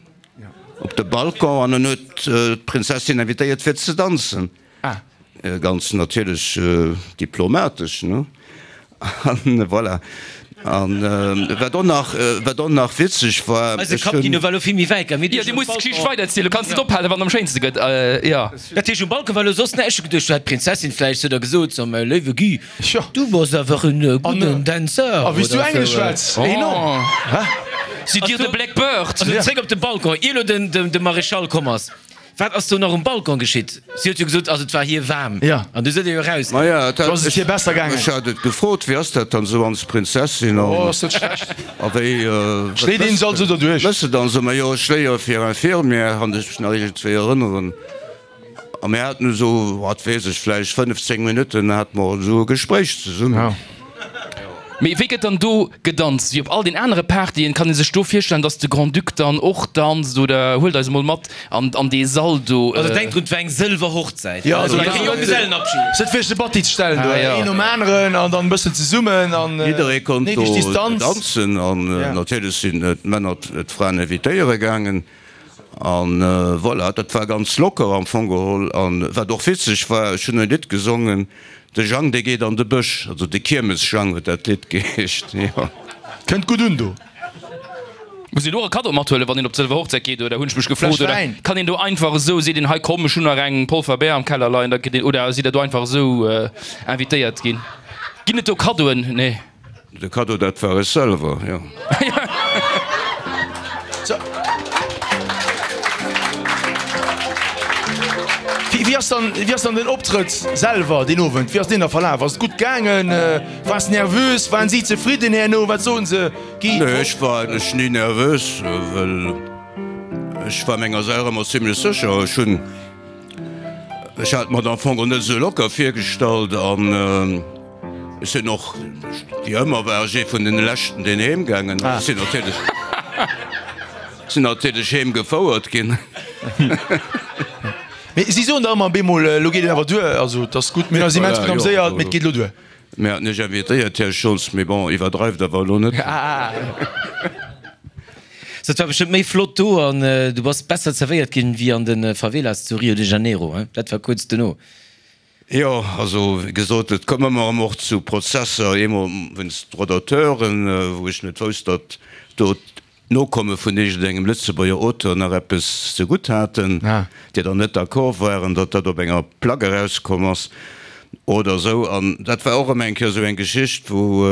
S5: op de Balcon an en huet d'Prinzessin invitéiert fir ze danzen.
S4: Ah.
S5: Ganz natierlech diplomatesch, ne? An voilà. An wat och nach, wat och nach witzeg war,
S2: Eise Kappkino war elo vill méi wäit gaang. Mir
S3: Jo, du muss d'Geschicht weiderzielen, du kanns net ophalen, wann am schéinste gëtt, jo.
S2: Dat heescht, um Balcon war elo soss näischt. Ech hu geduecht, du hätt d'Prinzessin vläicht zu der gesot, so, mäi léiwe Guy, du bass awer en gudden Danseur.
S4: A wéi s du Englesch schwätz, enorm!
S3: Sidd Dir de Black Bird?
S2: Also zréck op de Balcon, ier elo de Maréchal komm ass. Wat ass do nach um Balcon geschitt? Si huet jo gesot, also et war hir waarm.
S4: Ja.
S2: An du sot Dir jo eraus.
S5: Maja, et
S4: Do ass et hir besser gaangen.
S5: Ech hat et gefrot, wéi ass dat dann esou als Prinzessin an.
S4: Oh, ass dat schlecht.
S5: A wéi.
S4: Schléit een se also derduerch?
S5: Wëss de dann esou, majo, ech léiere fir Infirmière, kann ech mech nach iergendwéi erënneren. A mir haten esou, wat weess ech, vläicht fënnef, zéng Minutten hate mer esou e Gespréich zesummen.
S4: Ja.
S3: Mee wéi gëtt dann do gedanzt? Wéi op all den anere Partyen? Kann ee sech do virstellen, dass de Grand-Duc dann och danzt oder huelt eis emol mat an an dee Sall do?
S2: Also denk drun, et war eng sëlwer Hochzäit,
S4: Jo, also
S2: kee Jonggesellenabschied.
S4: Sët fir sech de Batti ze stellen do, een nom aneren an dann e bëssen zesummen an
S5: Jidderee konnt
S4: néideg
S5: do
S4: Distanz.
S5: danzen an natierlech sinn d'Männer d'Fraen invitéiere gaangen. An voilà, dat war ganz locker am Fong geholl. An wat och witzeg war, ech hunn e Lidd gesongen, De Jang, dee geet an de Bësch, also de Kiermesjang huet dat Lidd geheescht, jo.
S4: Kënnt gutt un do.
S3: Muss een do och e Kaddo mathuelen, wann een op d'Sëlwer Hochzäit geet, oder hunn ech mech gefrot,
S4: Fläsch
S3: oder
S4: Wäin.
S3: kann een do einfach esou, seet een, hei komm, ech hunn nach eng Polfer Bär am Keller leien, da kritt een, oder sidd der do einfach esou invitéiert ginn? Ginn et do Kaddoen? Nee.
S5: De Kaddo, dat war ech selwer, jo.
S4: Wéi ass dann, wéi ass dann den Optrëtt selwer deen Owend, wéi ass deen da verlaf? Ass et gutt gaangen? Waars nervös? Waren si zefridden herno? Wat soen se,
S5: Guy? Nee, ech war eigentlech ni nervös, well ech war menger Saach ëmmer zimlech sécher. Ech hunn, ech hat mer et am Fong och net esou locker virgestallt an ech sinn och, wéi ëmmer war ech ee vun den leschten, deen heem gaangen ass. Ech sinn natierlech. Sinn natierlech heem gefouert ginn.
S4: Mee si soen der ëmmer bemol, elo geet et awer duer, also et ass gutt, mir hunn eis immens gutt ameséiert, mee et geet elo duer.
S5: Mir haten Iech invitéiert, Här Schultz, mee bon, iwwerdreift awer elo net.
S2: So, et war bestëmmt méi flott do an du bass besser zerwéiert ginn wéi an de Favelas zu Rio de Janeiro, hein? Dat war kuerz dono.
S5: Jo, also wéi gesot, et koum ëmmer erëm och zu Prozesser, eemol wéinst Droits d'auteuren, wou ech net wousst, datt do d'Nokomme vun iergendengem Lëtzebuerger Auteur nach eppes ze gutt haten, déi dann net d'accord waren, datt dat op enger Plack erauskomm ass oder esou. An dat war och erëm eng Kéier esou eng Geschicht, wou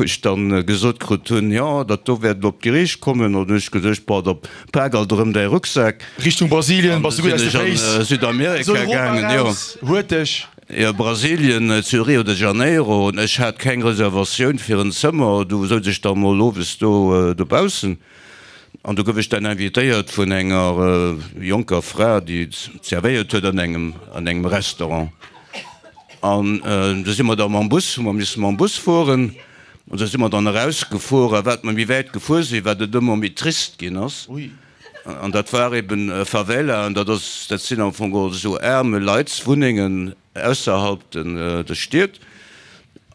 S5: ech dann gesot krut hunn, jo, dat do wäert elo op d'Geriicht kommen. An hunn ech geduecht, bon, da pak alt erëm däi Rucksak.
S4: Richtung Brasilien bass du gutt aus de Féiss.
S5: An du sinn ech an Südamerika gaangen, jo.
S4: Huerteg.
S5: Jo, Brasilien, zu Rio de Janeiro. Ech hat keng Reservatioun fir en Zëmmer, du souz ech da mol owes do dobaussen an du gouf ech dann invitéiert vun enger jonker Fra, déi zerwéiert huet an engem an engem Restaurant. An du si mer da mam Bus, hu mer misse mam Bus fueren an du si mer dann erausgefuer a wat mer méi wäit gefuer sinn, wat et ëmmer méi trist ginn ass. An dat war eben Favela, an dat ass, dat sinn am Fong geholl esou aarme Leitswunnengen ausserhalb de Stied.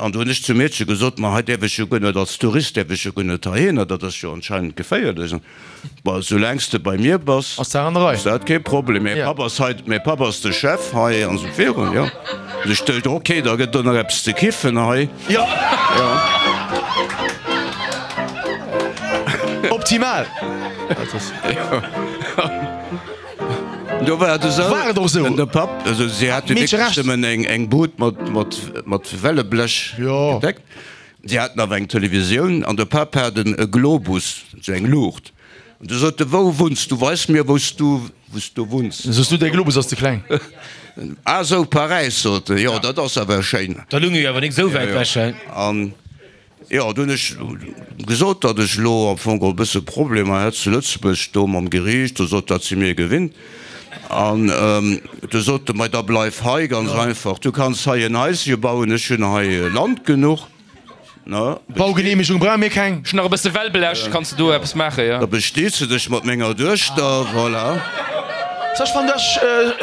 S5: An do hunn ech zum Meedche gesot, ma hei däerf ech jo guer net, als Tourist däerf ech jo guer net heihinner, dat ass jo anscheinend geféierlech. Bon, soulaang s de bei mir bass,
S4: Ass d'Saach an der Rei.
S5: ass dat kee Problem, mäi Papp ass hei, mäi Papp ass de Chef hei an esou virun, jo. An ech duecht, ok, da gëtt do nach eppes ze kiffen hei.
S4: Jo. Optimal.
S5: Do war et esou.
S4: War et och esou.
S5: De Papp, also si hate
S4: Meedche
S5: wierklech
S4: recht.
S5: nëmmen eng, eng Bud mat, mat, mat Welleblech
S4: Jo.
S5: gedeckt. Si haten awer eng Televisioun an de Papp hat en, e Globus, esou eng Luucht. An du sot e, Wou wunns du? Weis mir, wou s du, wou s du wunns.
S4: Soss du, däi Globus ass ze kleng.
S5: Ah sou, Paräis, sot e, jo, dat ass awer schéin.
S2: Da lung jo awer nik esou wäit ewech, hä?
S5: An jo, du hunn ech gesot, datt ech elo am Fong e bësse Problemer hätt zu Lëtzebuerg do mam Geriicht. Du sot, dat si mir gewinnt. An du sot e, Mei, da bleif hei, ganz einfach. Du kanns hei en Haische bauen, ech hunn hei Land genuch.
S4: Baugeneemegung brauche mir keng.
S3: Ech hunn nach e bësse Wellblech, kanns de do eppes maachen, jo?
S5: Da bestees de dech mat menger Duechter, voilà.
S4: Ech fannen dat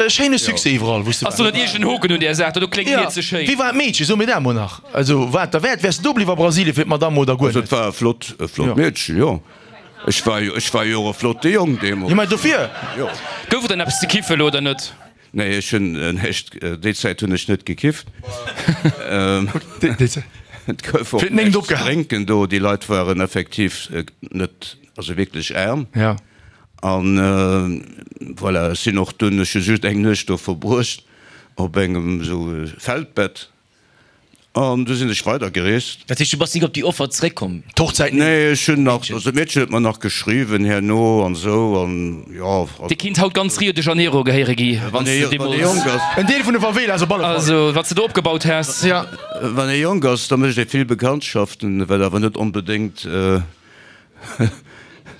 S4: e schéine Succès iwwerall wou s de
S3: Ass do net iergend en Hoken un där Saach? Dat do kléngt mir ze schéin.
S4: Wéi war d'Meedchen? So mir dat mol nach. Also war et derwäert? Wäers de do bliww a Brasilien fir d'Madame oder guer
S5: Also
S4: net?
S5: et war e flott, e flott Meedchen, jo. Ech war jo, ech war jo och e flotte Jong deemools.
S4: Jo, mä dofir.
S5: Jo.
S3: Gouf et dann eppes ze kiffen elo oder net?
S5: Nee, ech hunn näischt, déi Zäit hunn ech net gekifft. Et gouf och näischt ze drénken do. Déi Leit waren effektiv net, also wierklech aarm. An voilà, ech sinn och dunn, ech hu just eng Nuecht do verbruecht op engem esou Feldbett. An du sinn ech weider gereest.
S2: Dat heescht, du bass nik op déi Offer zeréckkomm?
S4: D'Hochzäit?
S5: Nee, ech hunn nach, also d'Meedchen huet mer nach geschriwwen herno an esou an jo.
S3: Dir kinnt haut ganz Rio de Janeiro gehéiere gi, wann s de
S5: Wann ee jonk
S3: deemools.
S5: ass.
S4: En Deel vun de Favelas op alle Fall.
S3: Also, wat s de do opgebaut häss.
S4: Ja.
S5: Wann ee jonk ass, da mécht ee vill Bekanntschaften, wat awer net onbedéngt.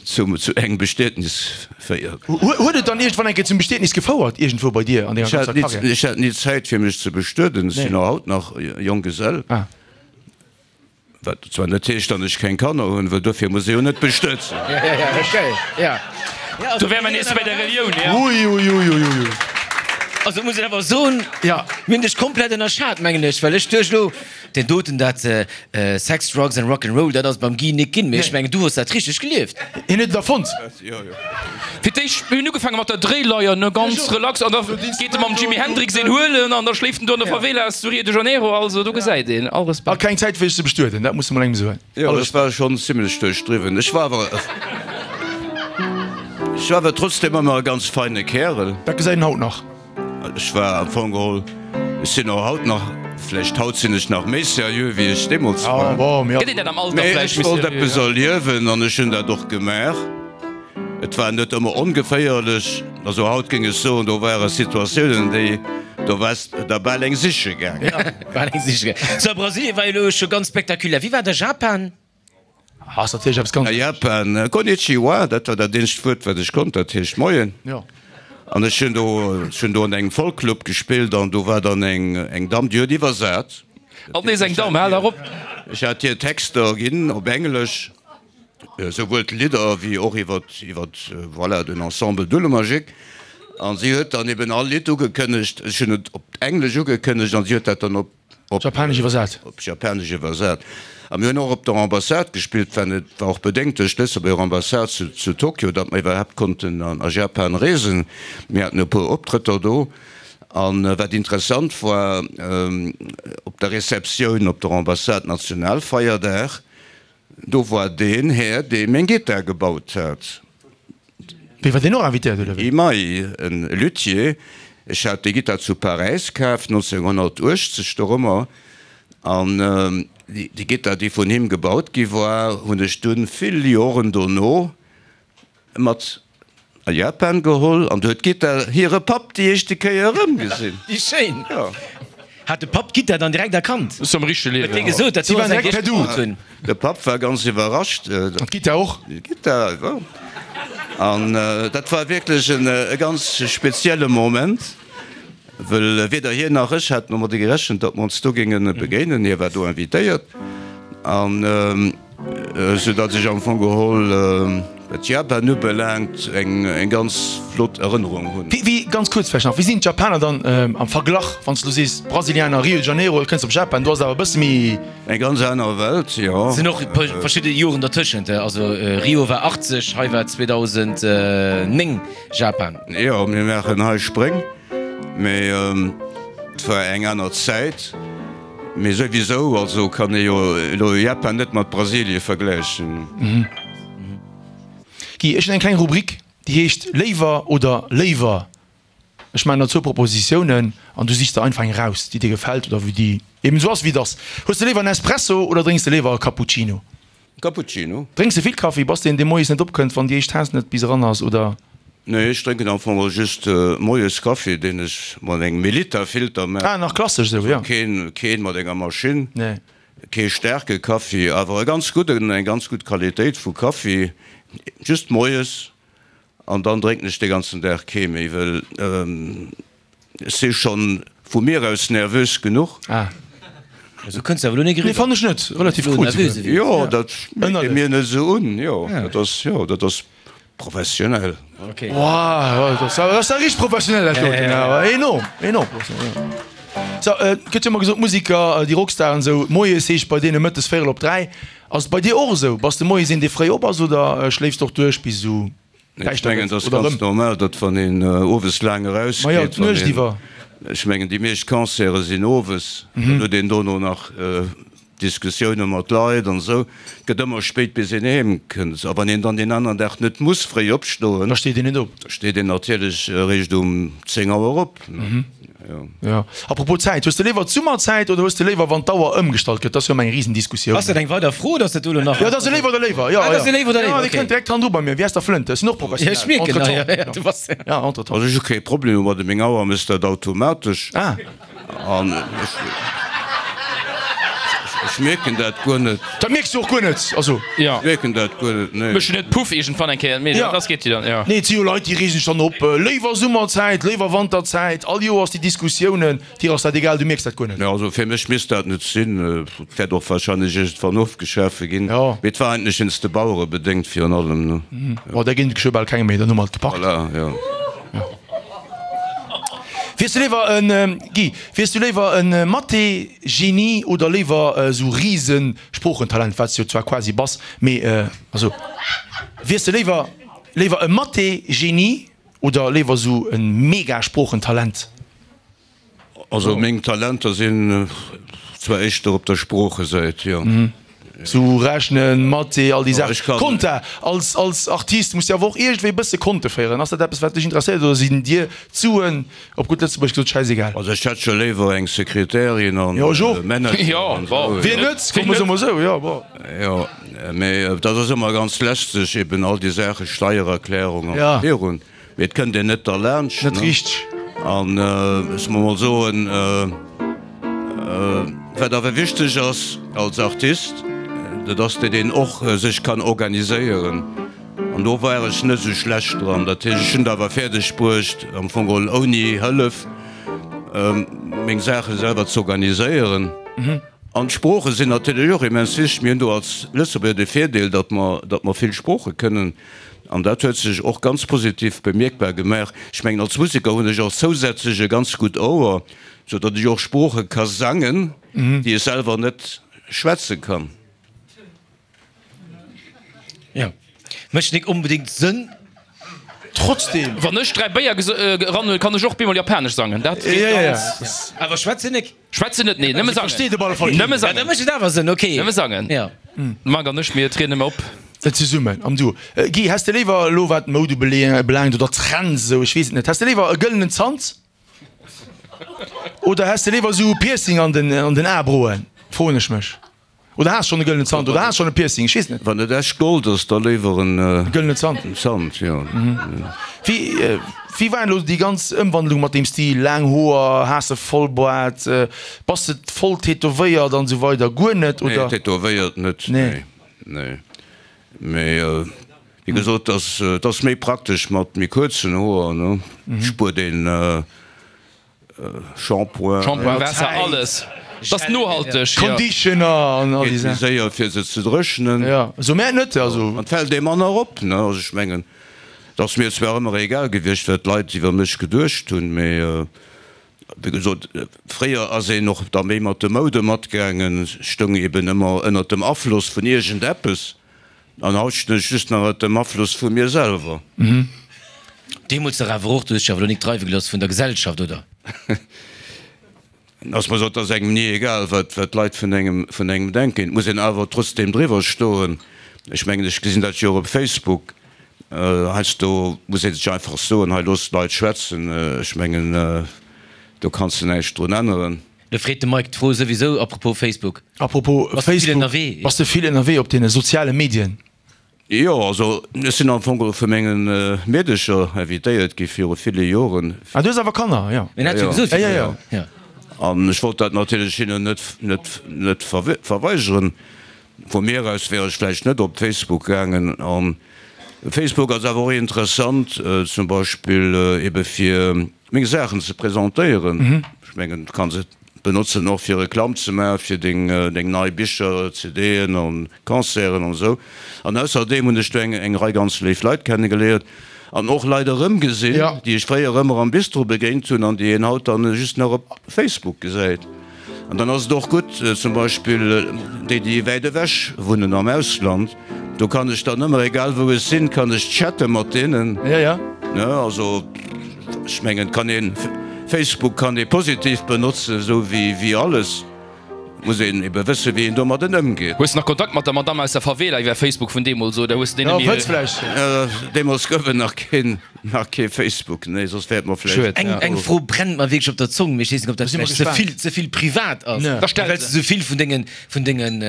S5: Zu engem Bestietnis féiert.
S4: Huet et dann iergendwann eng Kéier zum Bestietnis gefouert, iergendwou bei dir an denger ganzer Karriär?
S5: Ech hat ni Zäit fir mech ze bestueden. Ech sinn och haut nach Jonggesell. Wat zwar net heescht, datt ech keng Kanner hunn, well dofir muss ee jo net bestuet sinn.
S3: Do wäre mer nees bei der Relioun, jo.
S4: Ui, ui, ui, ui, ui.
S2: Also muss een awer soen, mir hunn dech komplett ënnerschat, mengen ech, well ech duecht elo, Deen doten, dat Sex, Drugs and Rock 'n' Roll, dat ass beim Guy nik ginn, mee ech mengen, du hues dat richteg gelieft.
S4: Hien huet et erfonnt.
S3: Fir d'éischt, mir hunn ugefaange mat der Dréileier, ne, ganz relax, an da geet e mam Jimi Hendrix een huelen an da schléift en do an der Favelas zu Rio de Janeiro. Also do gesäit een, all
S4: A
S3: Respekt.
S4: keng Zäit fir sech ze bestueden, dat muss de mol engem soen.
S5: Jo, ech war schonn zimlech duerchdriwwen. Ech war awer, ech war awer trotzdem ëmmer e ganz feine Kärel.
S4: Dat gesäit een haut nach.
S5: Ech war am Fong geholl, ech sinn och haut nach, vläicht haut sinn ech nach méi seriö wéi ech deemools war.
S3: Gëtt een dat am Alter
S5: Mee
S3: vläicht
S5: ech
S3: méi
S5: wollt
S3: seriö?
S5: eppes erliewen an ech hunn dat och gemaach. Et war net ëmmer ongeféierlech. Also haut géing ech soen, do ware Situatiounen, déi, do waars der bal eng siche gaangen.
S2: Ja, bal eng siche gaangen. So, Brasilien war jo elo scho ganz spektakulär. Wéi war da Japan?
S4: Ass natierlech eppes ganz.
S5: A Japan, Konnichiwa, dat war dat eenzegt Wuert, wat ech konnt, dat heescht Moien.
S4: Jo.
S5: An ech hunn do, ech hunn do an engem Folkclub gespillt an do war dann eng, eng Damm, déi huet iwwersat.
S3: Alt nees eng Damm, hal dach op!
S5: Ech hat hir Texter ginn op Englesch, souwuel d'Lidder wéi och iwwer, iwwer, voilà, den Ensemble Dulemagique. An si huet dann eben all Lidd ugekënnegt, ech hunn et op Englesch ugekënnegt an si huet dat dann op.
S4: Op Japanesch iwwersat.
S5: Op Japanesch iwwersat. A mir hunn och op der Ambassade gespillt, well et war och bedéngt duerch d'Lëtzebuerger Ambassade zu, zu Tokio, datt mer iwwerhaapt konnten an, a Japan reesen. Mir haten e puer Optrëtter do. A wat interessant war, op der Receptioun op der Ambassade, Nationalfeierdag, do war deen Här, dee meng Gittar gebaut hat.
S4: Wéi, war deen och invitéiert, oder wéi?
S5: Imai, en Luthier. Ech hat déi Gittar zu Paräis kaf, nonzénghonnertuechtzeg dorëmmer, an déi Gittar, déi vun him gebaut gi war, hunn ech dunn vill Joren dono mat a Japan geholl, an du huet d'Gittar hire Papp déi éischte Kéier erëmgesinn.
S2: Wéi schéin!
S5: Jo.
S2: Hat de Papp d'Gittar dann direkt erkannt?
S3: Ass am richtege
S2: Huet
S3: Liewen.
S2: dee gesot, dat
S4: Si
S2: do
S4: waren
S2: ass eng
S4: direkt per
S2: déi ech
S4: Du.
S2: gebaut hunn?
S5: De Papp war ganz iwwerrascht.
S4: An d'Gittar och?
S5: D'Gittar, jo. An dat war wierklech e ganz spezielle Moment, wëll weder hien nach ech haten domadder gerechent, datt mer ons do géinge begéinen. Hie war do invitéiert, an esou datt ech am Fong geholl, wat Japan ubelaangt, eng ganz flott Erënnerung hunn.
S4: Wéi, ganz kuerz vläicht nach, wéi sinn d'Japaner dann am Verglach, wann s du sees Brasilianer, Rio de Janeiro, kënns op Japan, do ass et awer e bësse méi.
S5: Eng ganz aner Welt, jo.
S2: Sinn och verschidde Joren dertëschent, also Rio war achtzeg, hei war zweedausendnéng Japan.
S5: Jo, mir maachen hei Spréng, mee et war eng aner Zäit. Mee souwisou, also kann ee jo elo Japan net mat Brasilie vergläichen.
S4: Guy, ech hunn eng kleng Rubrik, déi heescht Léiwer oder léiwer. Ech maachen der zwou Propositiounen an du sichs der einfach eng raus, déi dir gefält oder wou déi eben esou ass, wéi et ass. Hues de léiwer en Espresso oder drénks de léiwer e Cappuccino?
S5: Cappuccino.
S4: Drénks de vill Kaffi? Bass de een, dee moies net opkënnt, wann déi éischt Taass net bis eran ass, oder?
S5: Nee, ech drénken am Fong just moies Kaffi, deen ech mat engem Melitta-Filter maachen.
S4: Ah, nach klassesch esou, jo.
S5: Keen, keen mat enger Maschinn.
S4: Nee.
S5: Kee staarke Kaffi, awer e ganz gudden, eng ganz gutt Qualitéit vu Kaffi, just moies. An dann drénken ech de ganzen Dag kee méi, well ech si schonn vu mir aus nervös genuch.
S4: Ah.
S2: Esou kënns de awer elo net
S4: Nee,
S2: eriwwer.
S4: fannen ech net. Relativ cool souguer.
S5: Jo, dat mierkt ee mir net esou un. Jo, dat ass, jo, dat ass professionell.
S2: Okay.
S4: Wow, dat ass awer, dat ass richteg professionell dat doten awer. Enorm, enorm. Sou, et gëtt jo ëmmer gesot, Musiker, déi Rockstaren esou, moies heescht bei deene mëttes véierel op dräi. Ass et bei dir och esou? Bass de moies een, dee fréi op ass oder schléifs de och duerch bis esou
S5: Ech
S4: däischter
S5: mengen,
S4: gëtt
S5: et ass
S4: oder
S5: ganz
S4: erëm?
S5: normal, datt wann een owes laang
S4: Ma jo,
S5: erausgeet, wann
S4: d'Nuecht
S5: een,
S4: iwwer.
S5: ech mengen, déi meescht Concerte sinn owes, dann huet een dono nach Diskussioune mat Leit an esou. Et gëtt ëmmer spéit bis een heem kënnt. A wann een dann deen aneren Dag net muss fréi opstoen,
S4: Da steet een net op.
S5: da steet een natierlech eréischt um zéng Auer op. Jo.
S4: Jo. A propos Zäit, hues de léiwer d'Summerzäit oder hues de léiwer wann d'Auer ëmgestallt gëtt? Dat ass jo ëmmer eng Risendiskussioun.
S2: Ass dat eng weider Fro oder ass dat do elo nach?
S4: Jo, dat ass e léiwer oder léiwer. Jo,
S2: Ah, dat ass e léiwer oder
S4: jo.
S2: léiwer,
S4: Jo, dee
S2: okay.
S4: kënnt direkt hannendru bei mir. Wéi ass der Flënt? Ech sinn och
S2: Ja, ech
S4: professionell.
S2: mierken, ja,
S4: Entretemps.
S2: ja, du bass.
S4: Ja, entretemps.
S5: Also ech hu kee Problem domadden, meng Auer mécht dat automatesch.
S4: Ah.
S5: An ech, ech mierken dat guer net.
S4: Dat mierks du och guer net, also.
S3: Ja.
S5: Ech mierken dat guer net, nee.
S3: Mécht net Puff iergendwann eng Kéier, mee
S4: Ja.
S3: lass geet déi dann, ja.
S4: Nee, et si jo Leit, déi reegen sech dann op, léiwer Summerzäit, léiwer Wanterzäit, all Joers déi Diskussiounen. Dir ass dat egal, du mierks dat guer net.
S5: Nee, also fir mech misst dat net sinn. Et wäert och wahrscheinlech iergendwann ofgeschafe ginn.
S4: Ja.
S5: Mee et war eigentlech wéinst de Bauere bedéngt virun allem, ne?
S4: Oh, där ginn et geschwë bal keng méi, dann hu mer et gepackt.
S5: Voilà, jo.
S4: Wiers du léiwer en, Guy, wiers du léiwer en Mathé-Genie oder léiwer esou Riesen-Sproochentalent, wat s jo zwar quasi bass, mee also wiers de léiwer léiwer e Mathé-Genie oder léiwer esou e Mega-Sproochentalent?
S5: Also meng Talenter sinn zwar éischter op der Sproochesäit, jo.
S4: Sou rechnen, Mathé, all déi
S5: Ja, ech
S4: Saachen.
S5: kann.
S4: Konta, als, als Artist muss de awer och iergendwéi e bësse Konte féieren. Ass dat eppes, wat dech interesséiert oder sinn dir d'Suen, op gutt Lëtzebuergesch gesot, schäisegal?
S5: Also ech hätt scho léiwer eng Sekretärin an
S4: Jo, ech och.
S5: Manager
S3: Jo,
S5: an
S3: bon.
S5: esou.
S4: Wien net? Komm, soe mer esou, jo, bon.
S5: Jo, Mee dat ass ëmmer ganz lästeg, eben all déi Saachen, Steiererklärung an virun. Mee et kënnt een net derlaanscht.
S4: Net richteg.
S5: An ech muss mol soen, wat awer wichteg ass als Artist, dat ass, datt een och sech kann organiséieren. An do war ech net esou schlecht dran. Dat heescht, ech hunn et awer fäerdeg bruecht, am Fong geholl ouni Hëllef meng Saache selwer ze organiséieren. An d'Sprooche sinn natierlech och immens wichteg. Mir hunn do als Lëtzebuerger de Virdeel, datt mer, datt mer vill Sprooche kënnen. An dat huet sech och ganz positiv bemierkbar gemaach. Ech mengen, als Museker hunn ech och zousätzlech e ganz gutt Ouer, sou datt ech och Sprooche ka sangen, déi ech selwer net schwätze kann.
S2: Jo, mécht nik onbedéngt Sënn.
S4: Trotzdem.
S3: Wann ech dräi Béier eran huelen, kann ech och bemol Japanesch sangen. Dat geet ganz.
S2: Awer schwätzen nik?
S3: Schwätzen net, nee, nëmme sangen. Nëmme sangen.
S2: Da mécht et awer Sënn, ok.
S3: Nëmme sangen. Marc an ech, mir trieden ëmmer op.
S4: Zesummen am Duo. Guy, häss de léiwer elo wat d'Moud ubelaangt oder Trends esou, ech weess et net, häss de léiwer e gëllenen Zant oder häss de léiwer esou e Piercing an den an den Aebroen, froen ech mech. Oder has schonn e gëllenen Zant oder has schonn e Piercing, ech weess et net.
S5: Wann et echt Gold ass, da léiwer en
S4: gëllenen Zant.
S5: Zant, jo.
S4: Wéi wéi war elo déi ganz Ëmwandlung mat deem Stil, laang Hoer, has de Vollboart, bass de voll tätowéiert an esou weider? Guer net, oder?
S5: Nee, tätowéiert net, nee, nee. Mee wéi gesot, et ass méi praktesch mat méi kuerzen Hoer, ne? Spuert een Shampoing.
S3: Shampoing, Waasser, alles. Et ass nohalteg, jo.
S4: Conditioner an all déi
S5: Geet méi
S4: Saachen.
S5: séier fir se ze dréchnen.
S4: Jo, esou mär net, also.
S5: An et fält ee manner op, ne? Also ech mengen, et ass mir zwar ëmmer egal gewiescht, wat d'Leit iwwer mech geduecht hunn, mee. Wéi gesot, fréier ass een och da méi mat de Moude matgaangen, stoung eben ëmmer ënnert dem Afloss vun iergendeppes, an haut stinn ech just nach ënnert dem Afloss vu mir selwer.
S2: Deemools dach awer och, du hues dech awer elo nik dreiwe gelooss vun der Gesellschaft, oder?
S5: Ass mer sot, ass engem ni egal, wat d'Leit vun engem vun engem denken. Et muss een awer trotzdeem driwwer stoen. Ech mengen, ech gesinn dat jo och op Facebook. Heiansdo muss ee sech einfach soen, hei looss d'Leit schwätzen. Ech mengen, do kanns de näischt drun änneren.
S2: Lo freet de Mike d'Fro souwisou, apropos Facebook.
S4: Apropos
S2: Bass de vill
S4: Facebook,
S2: ënnerwee?
S4: bass de vill ënnerwee op deene soziale Medien?
S5: Jo, also ech sinn am Fong vu menge Meedecher invitéiert gi viru ville Joren.
S4: Ah, du hues awer Kanner, jo.
S2: Mir hat jo gesot,
S4: Ja, ja,
S2: ja.
S5: An ech wollt dat natierlech hinnen net, net, net verweigeren. Vu mir aus wär ech vläicht net op Facebook gaangen. An Facebook ass awer och interessant, zum Beispill ebe fir meng Saachen ze presentéieren. Ech mengen, du kanns et benotzen och fir Reklamm ze maachen fir deng deng nei Bicher, CDen an Concerten an esou. An ausserdeem hunn ech do eng eng Rei ganz léif Leit kennegeléiert an och Leit erëmgesinn, déi ech fréier ëmmer am Bistro begéint hunn an déi een haut dann just nach op Facebook gesäit. An dann ass et och gutt, zum Beispill déi, déi wäit ewech wunnen am Ausland, do kann ech dann ëmmer, egal wou ech sinn, kann ech chatte mat deenen. Ne, also ech mengen, et kann een, Facebook kann ee positiv benotzen, esou wéi alles. Et muss een ebe wëssen, wéi een domadden ëmgeet.
S3: Hues de nach Kontakt mat der Madame aus der Favela iwwer Facebook vun deemools, oder hues de déi net
S5: méi? Deemools gouf et nach keen, nach kee Facebook, nee, soss wär et mer vläicht.
S2: Eng, eng Fro brennt mer wierklech op der Zong, mee ech weess net, ob dat vläicht ze vill, ze vill privat ass, well s de esou vill vun dengen, vun dengen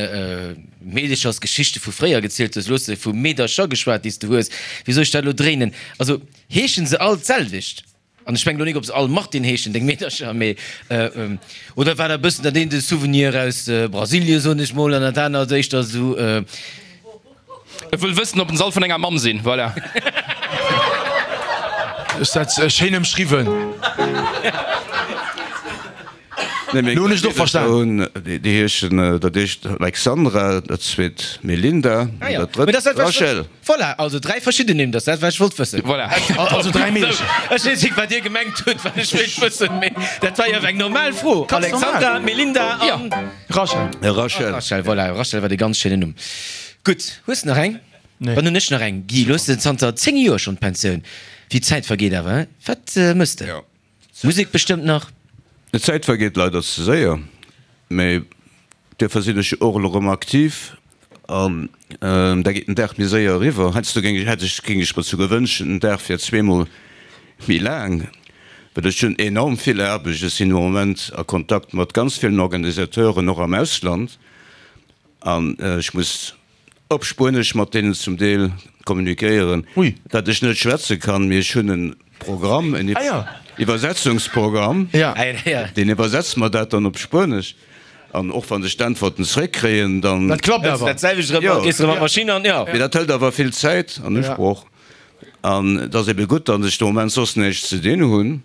S2: Meedechersgeschichte vu fréier gezielt hues. Elo hues de vu Meedercher geschwat, déi s de hues. Wéi soll ech dat elo dréinen? Also, heeschen se all d'selwecht? An ech mengen elo nik, ob se all Martin heeschen, deng Meedercher, mee oder war dat e bëssen dat eent e Souvenir aus Brasilien, soen ech mol, an dat anert éischter esou.
S3: E wëll wëssen, ob en se all vun enger Mamm sinn. Voilà.
S4: Hues dat schéin ëmschriwwen. Lo hunn ech et och verstan.
S5: Déi heeschen, dat éischt Alexandra, dat zweet Melinda an dat drëtt Rachel.
S2: Voilà, also dräi verschidden Nimm, dat ass dat, wat ech wollt wëssen.
S3: Voilà.
S4: Also dräi Meedercher.
S2: Ech weess nik, wat Dir gemengt hutt, wat ech wéilt wëssen, mee dat war jo awer eng normal Fro. Alexandra, Melinda an.
S4: Rachel.
S5: Rachel.
S2: Rachel, voilà, Rachel war dee ganz schéinen Numm. Gutt, hues de nach eng?
S4: Nee.
S2: Dann hunn ech nach eng. Guy, lo hues de zanter zéng Joer schonn d'Pensioun. Wéi d'Zäit vergeet awer, hein? Wat mëss de?
S5: Jo.
S2: Musek bestëmmt nach?
S5: D'Zäit vergeet leider ze séier, mee duerfir sinn ech och elo erëm aktiv an da geet den Dag méi séier eriwwer. Heiansdo géing ech, hätt ech, géing ech mer souguer wënschen, den Dag wier zweemol méi laang, well ech hunn enorm vill Aarbecht. Ech sinn am Moment a Kontakt mat ganz villen Organisateuren, och am Ausland, an ech muss op Spuenesch mat deenen zum Deel kommunikéieren,
S4: Ui.
S5: dat ech net schwätze kann, mee ech hunn e Programm, en
S4: Ah ja.
S5: Iwwersetzungsprogramm,
S4: Ja.
S5: deen iwwersetzt mer dat dann op Spuenesch. An och wann ech d'Äntwerten zeréckkréien, dann.
S4: Dat klappt awer.
S2: Dat selwecht erëm,
S5: Jo.
S2: gees erëm an d'Maschinn an, jo.
S5: Mee dat hëlt awer vill Zäit an Usproch. An et ass ebe gutt, datt ech de Moment soss näischt ze dinn hunn.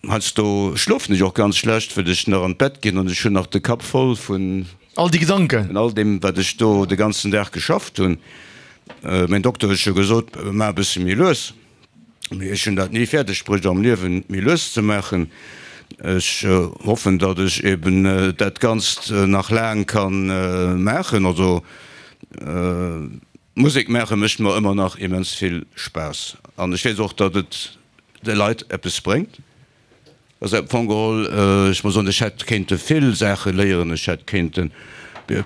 S5: Heiansdo schlofen ech och ganz schlecht, wëll ech nach an d'Bett ginn an ech hunn nach de Kapp voll vun.
S4: All déi Gedanken.
S5: Vun all deem, wat ech do de ganzen Dag geschafft hunn. Mäin Dokter huet scho gesot, maach e bësse méi lues. Mee ech hunn dat ni fäerdeg bruecht am Liewen, méi lues ze maachen. Ech hoffen, datt ech eben dat Ganzt nach laang ka maachen. Also Musek maache mécht mer ëmmer nach immens vill Spaass. An ech weess och, datt et de Leit eppes bréngt. Also am Fong geholl, ech muss soen, ech hätt kéinte vill Saache léieren. Ech hätt kéinte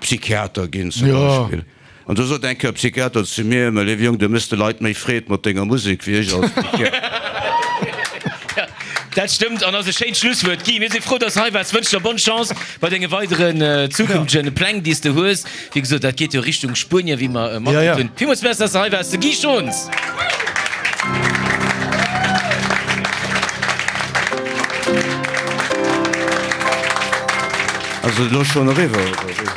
S5: Psychiater ginn zum Beispill. An du sot eng Kéier e Psychiater zu mir, Mä léiwe Jong, du méchs de Leit méi Freed mat denger Musek wéi ech als Psychiater.
S2: Dat stëmmt an ass e schéint Schlusswuert. Guy, mir si frou, dass de hei waars. Wënschen der bonne Chance bei denge weideren zukünftegen Pläng, déi s de hues. Wéi gesot, dat geet jo Richtung Spuenien, wéi mer matkritt hunn. Villmools Merci, dass de hei waars, de Guy Schons.
S5: Ass et elo schonn eriwwer, oder wéi?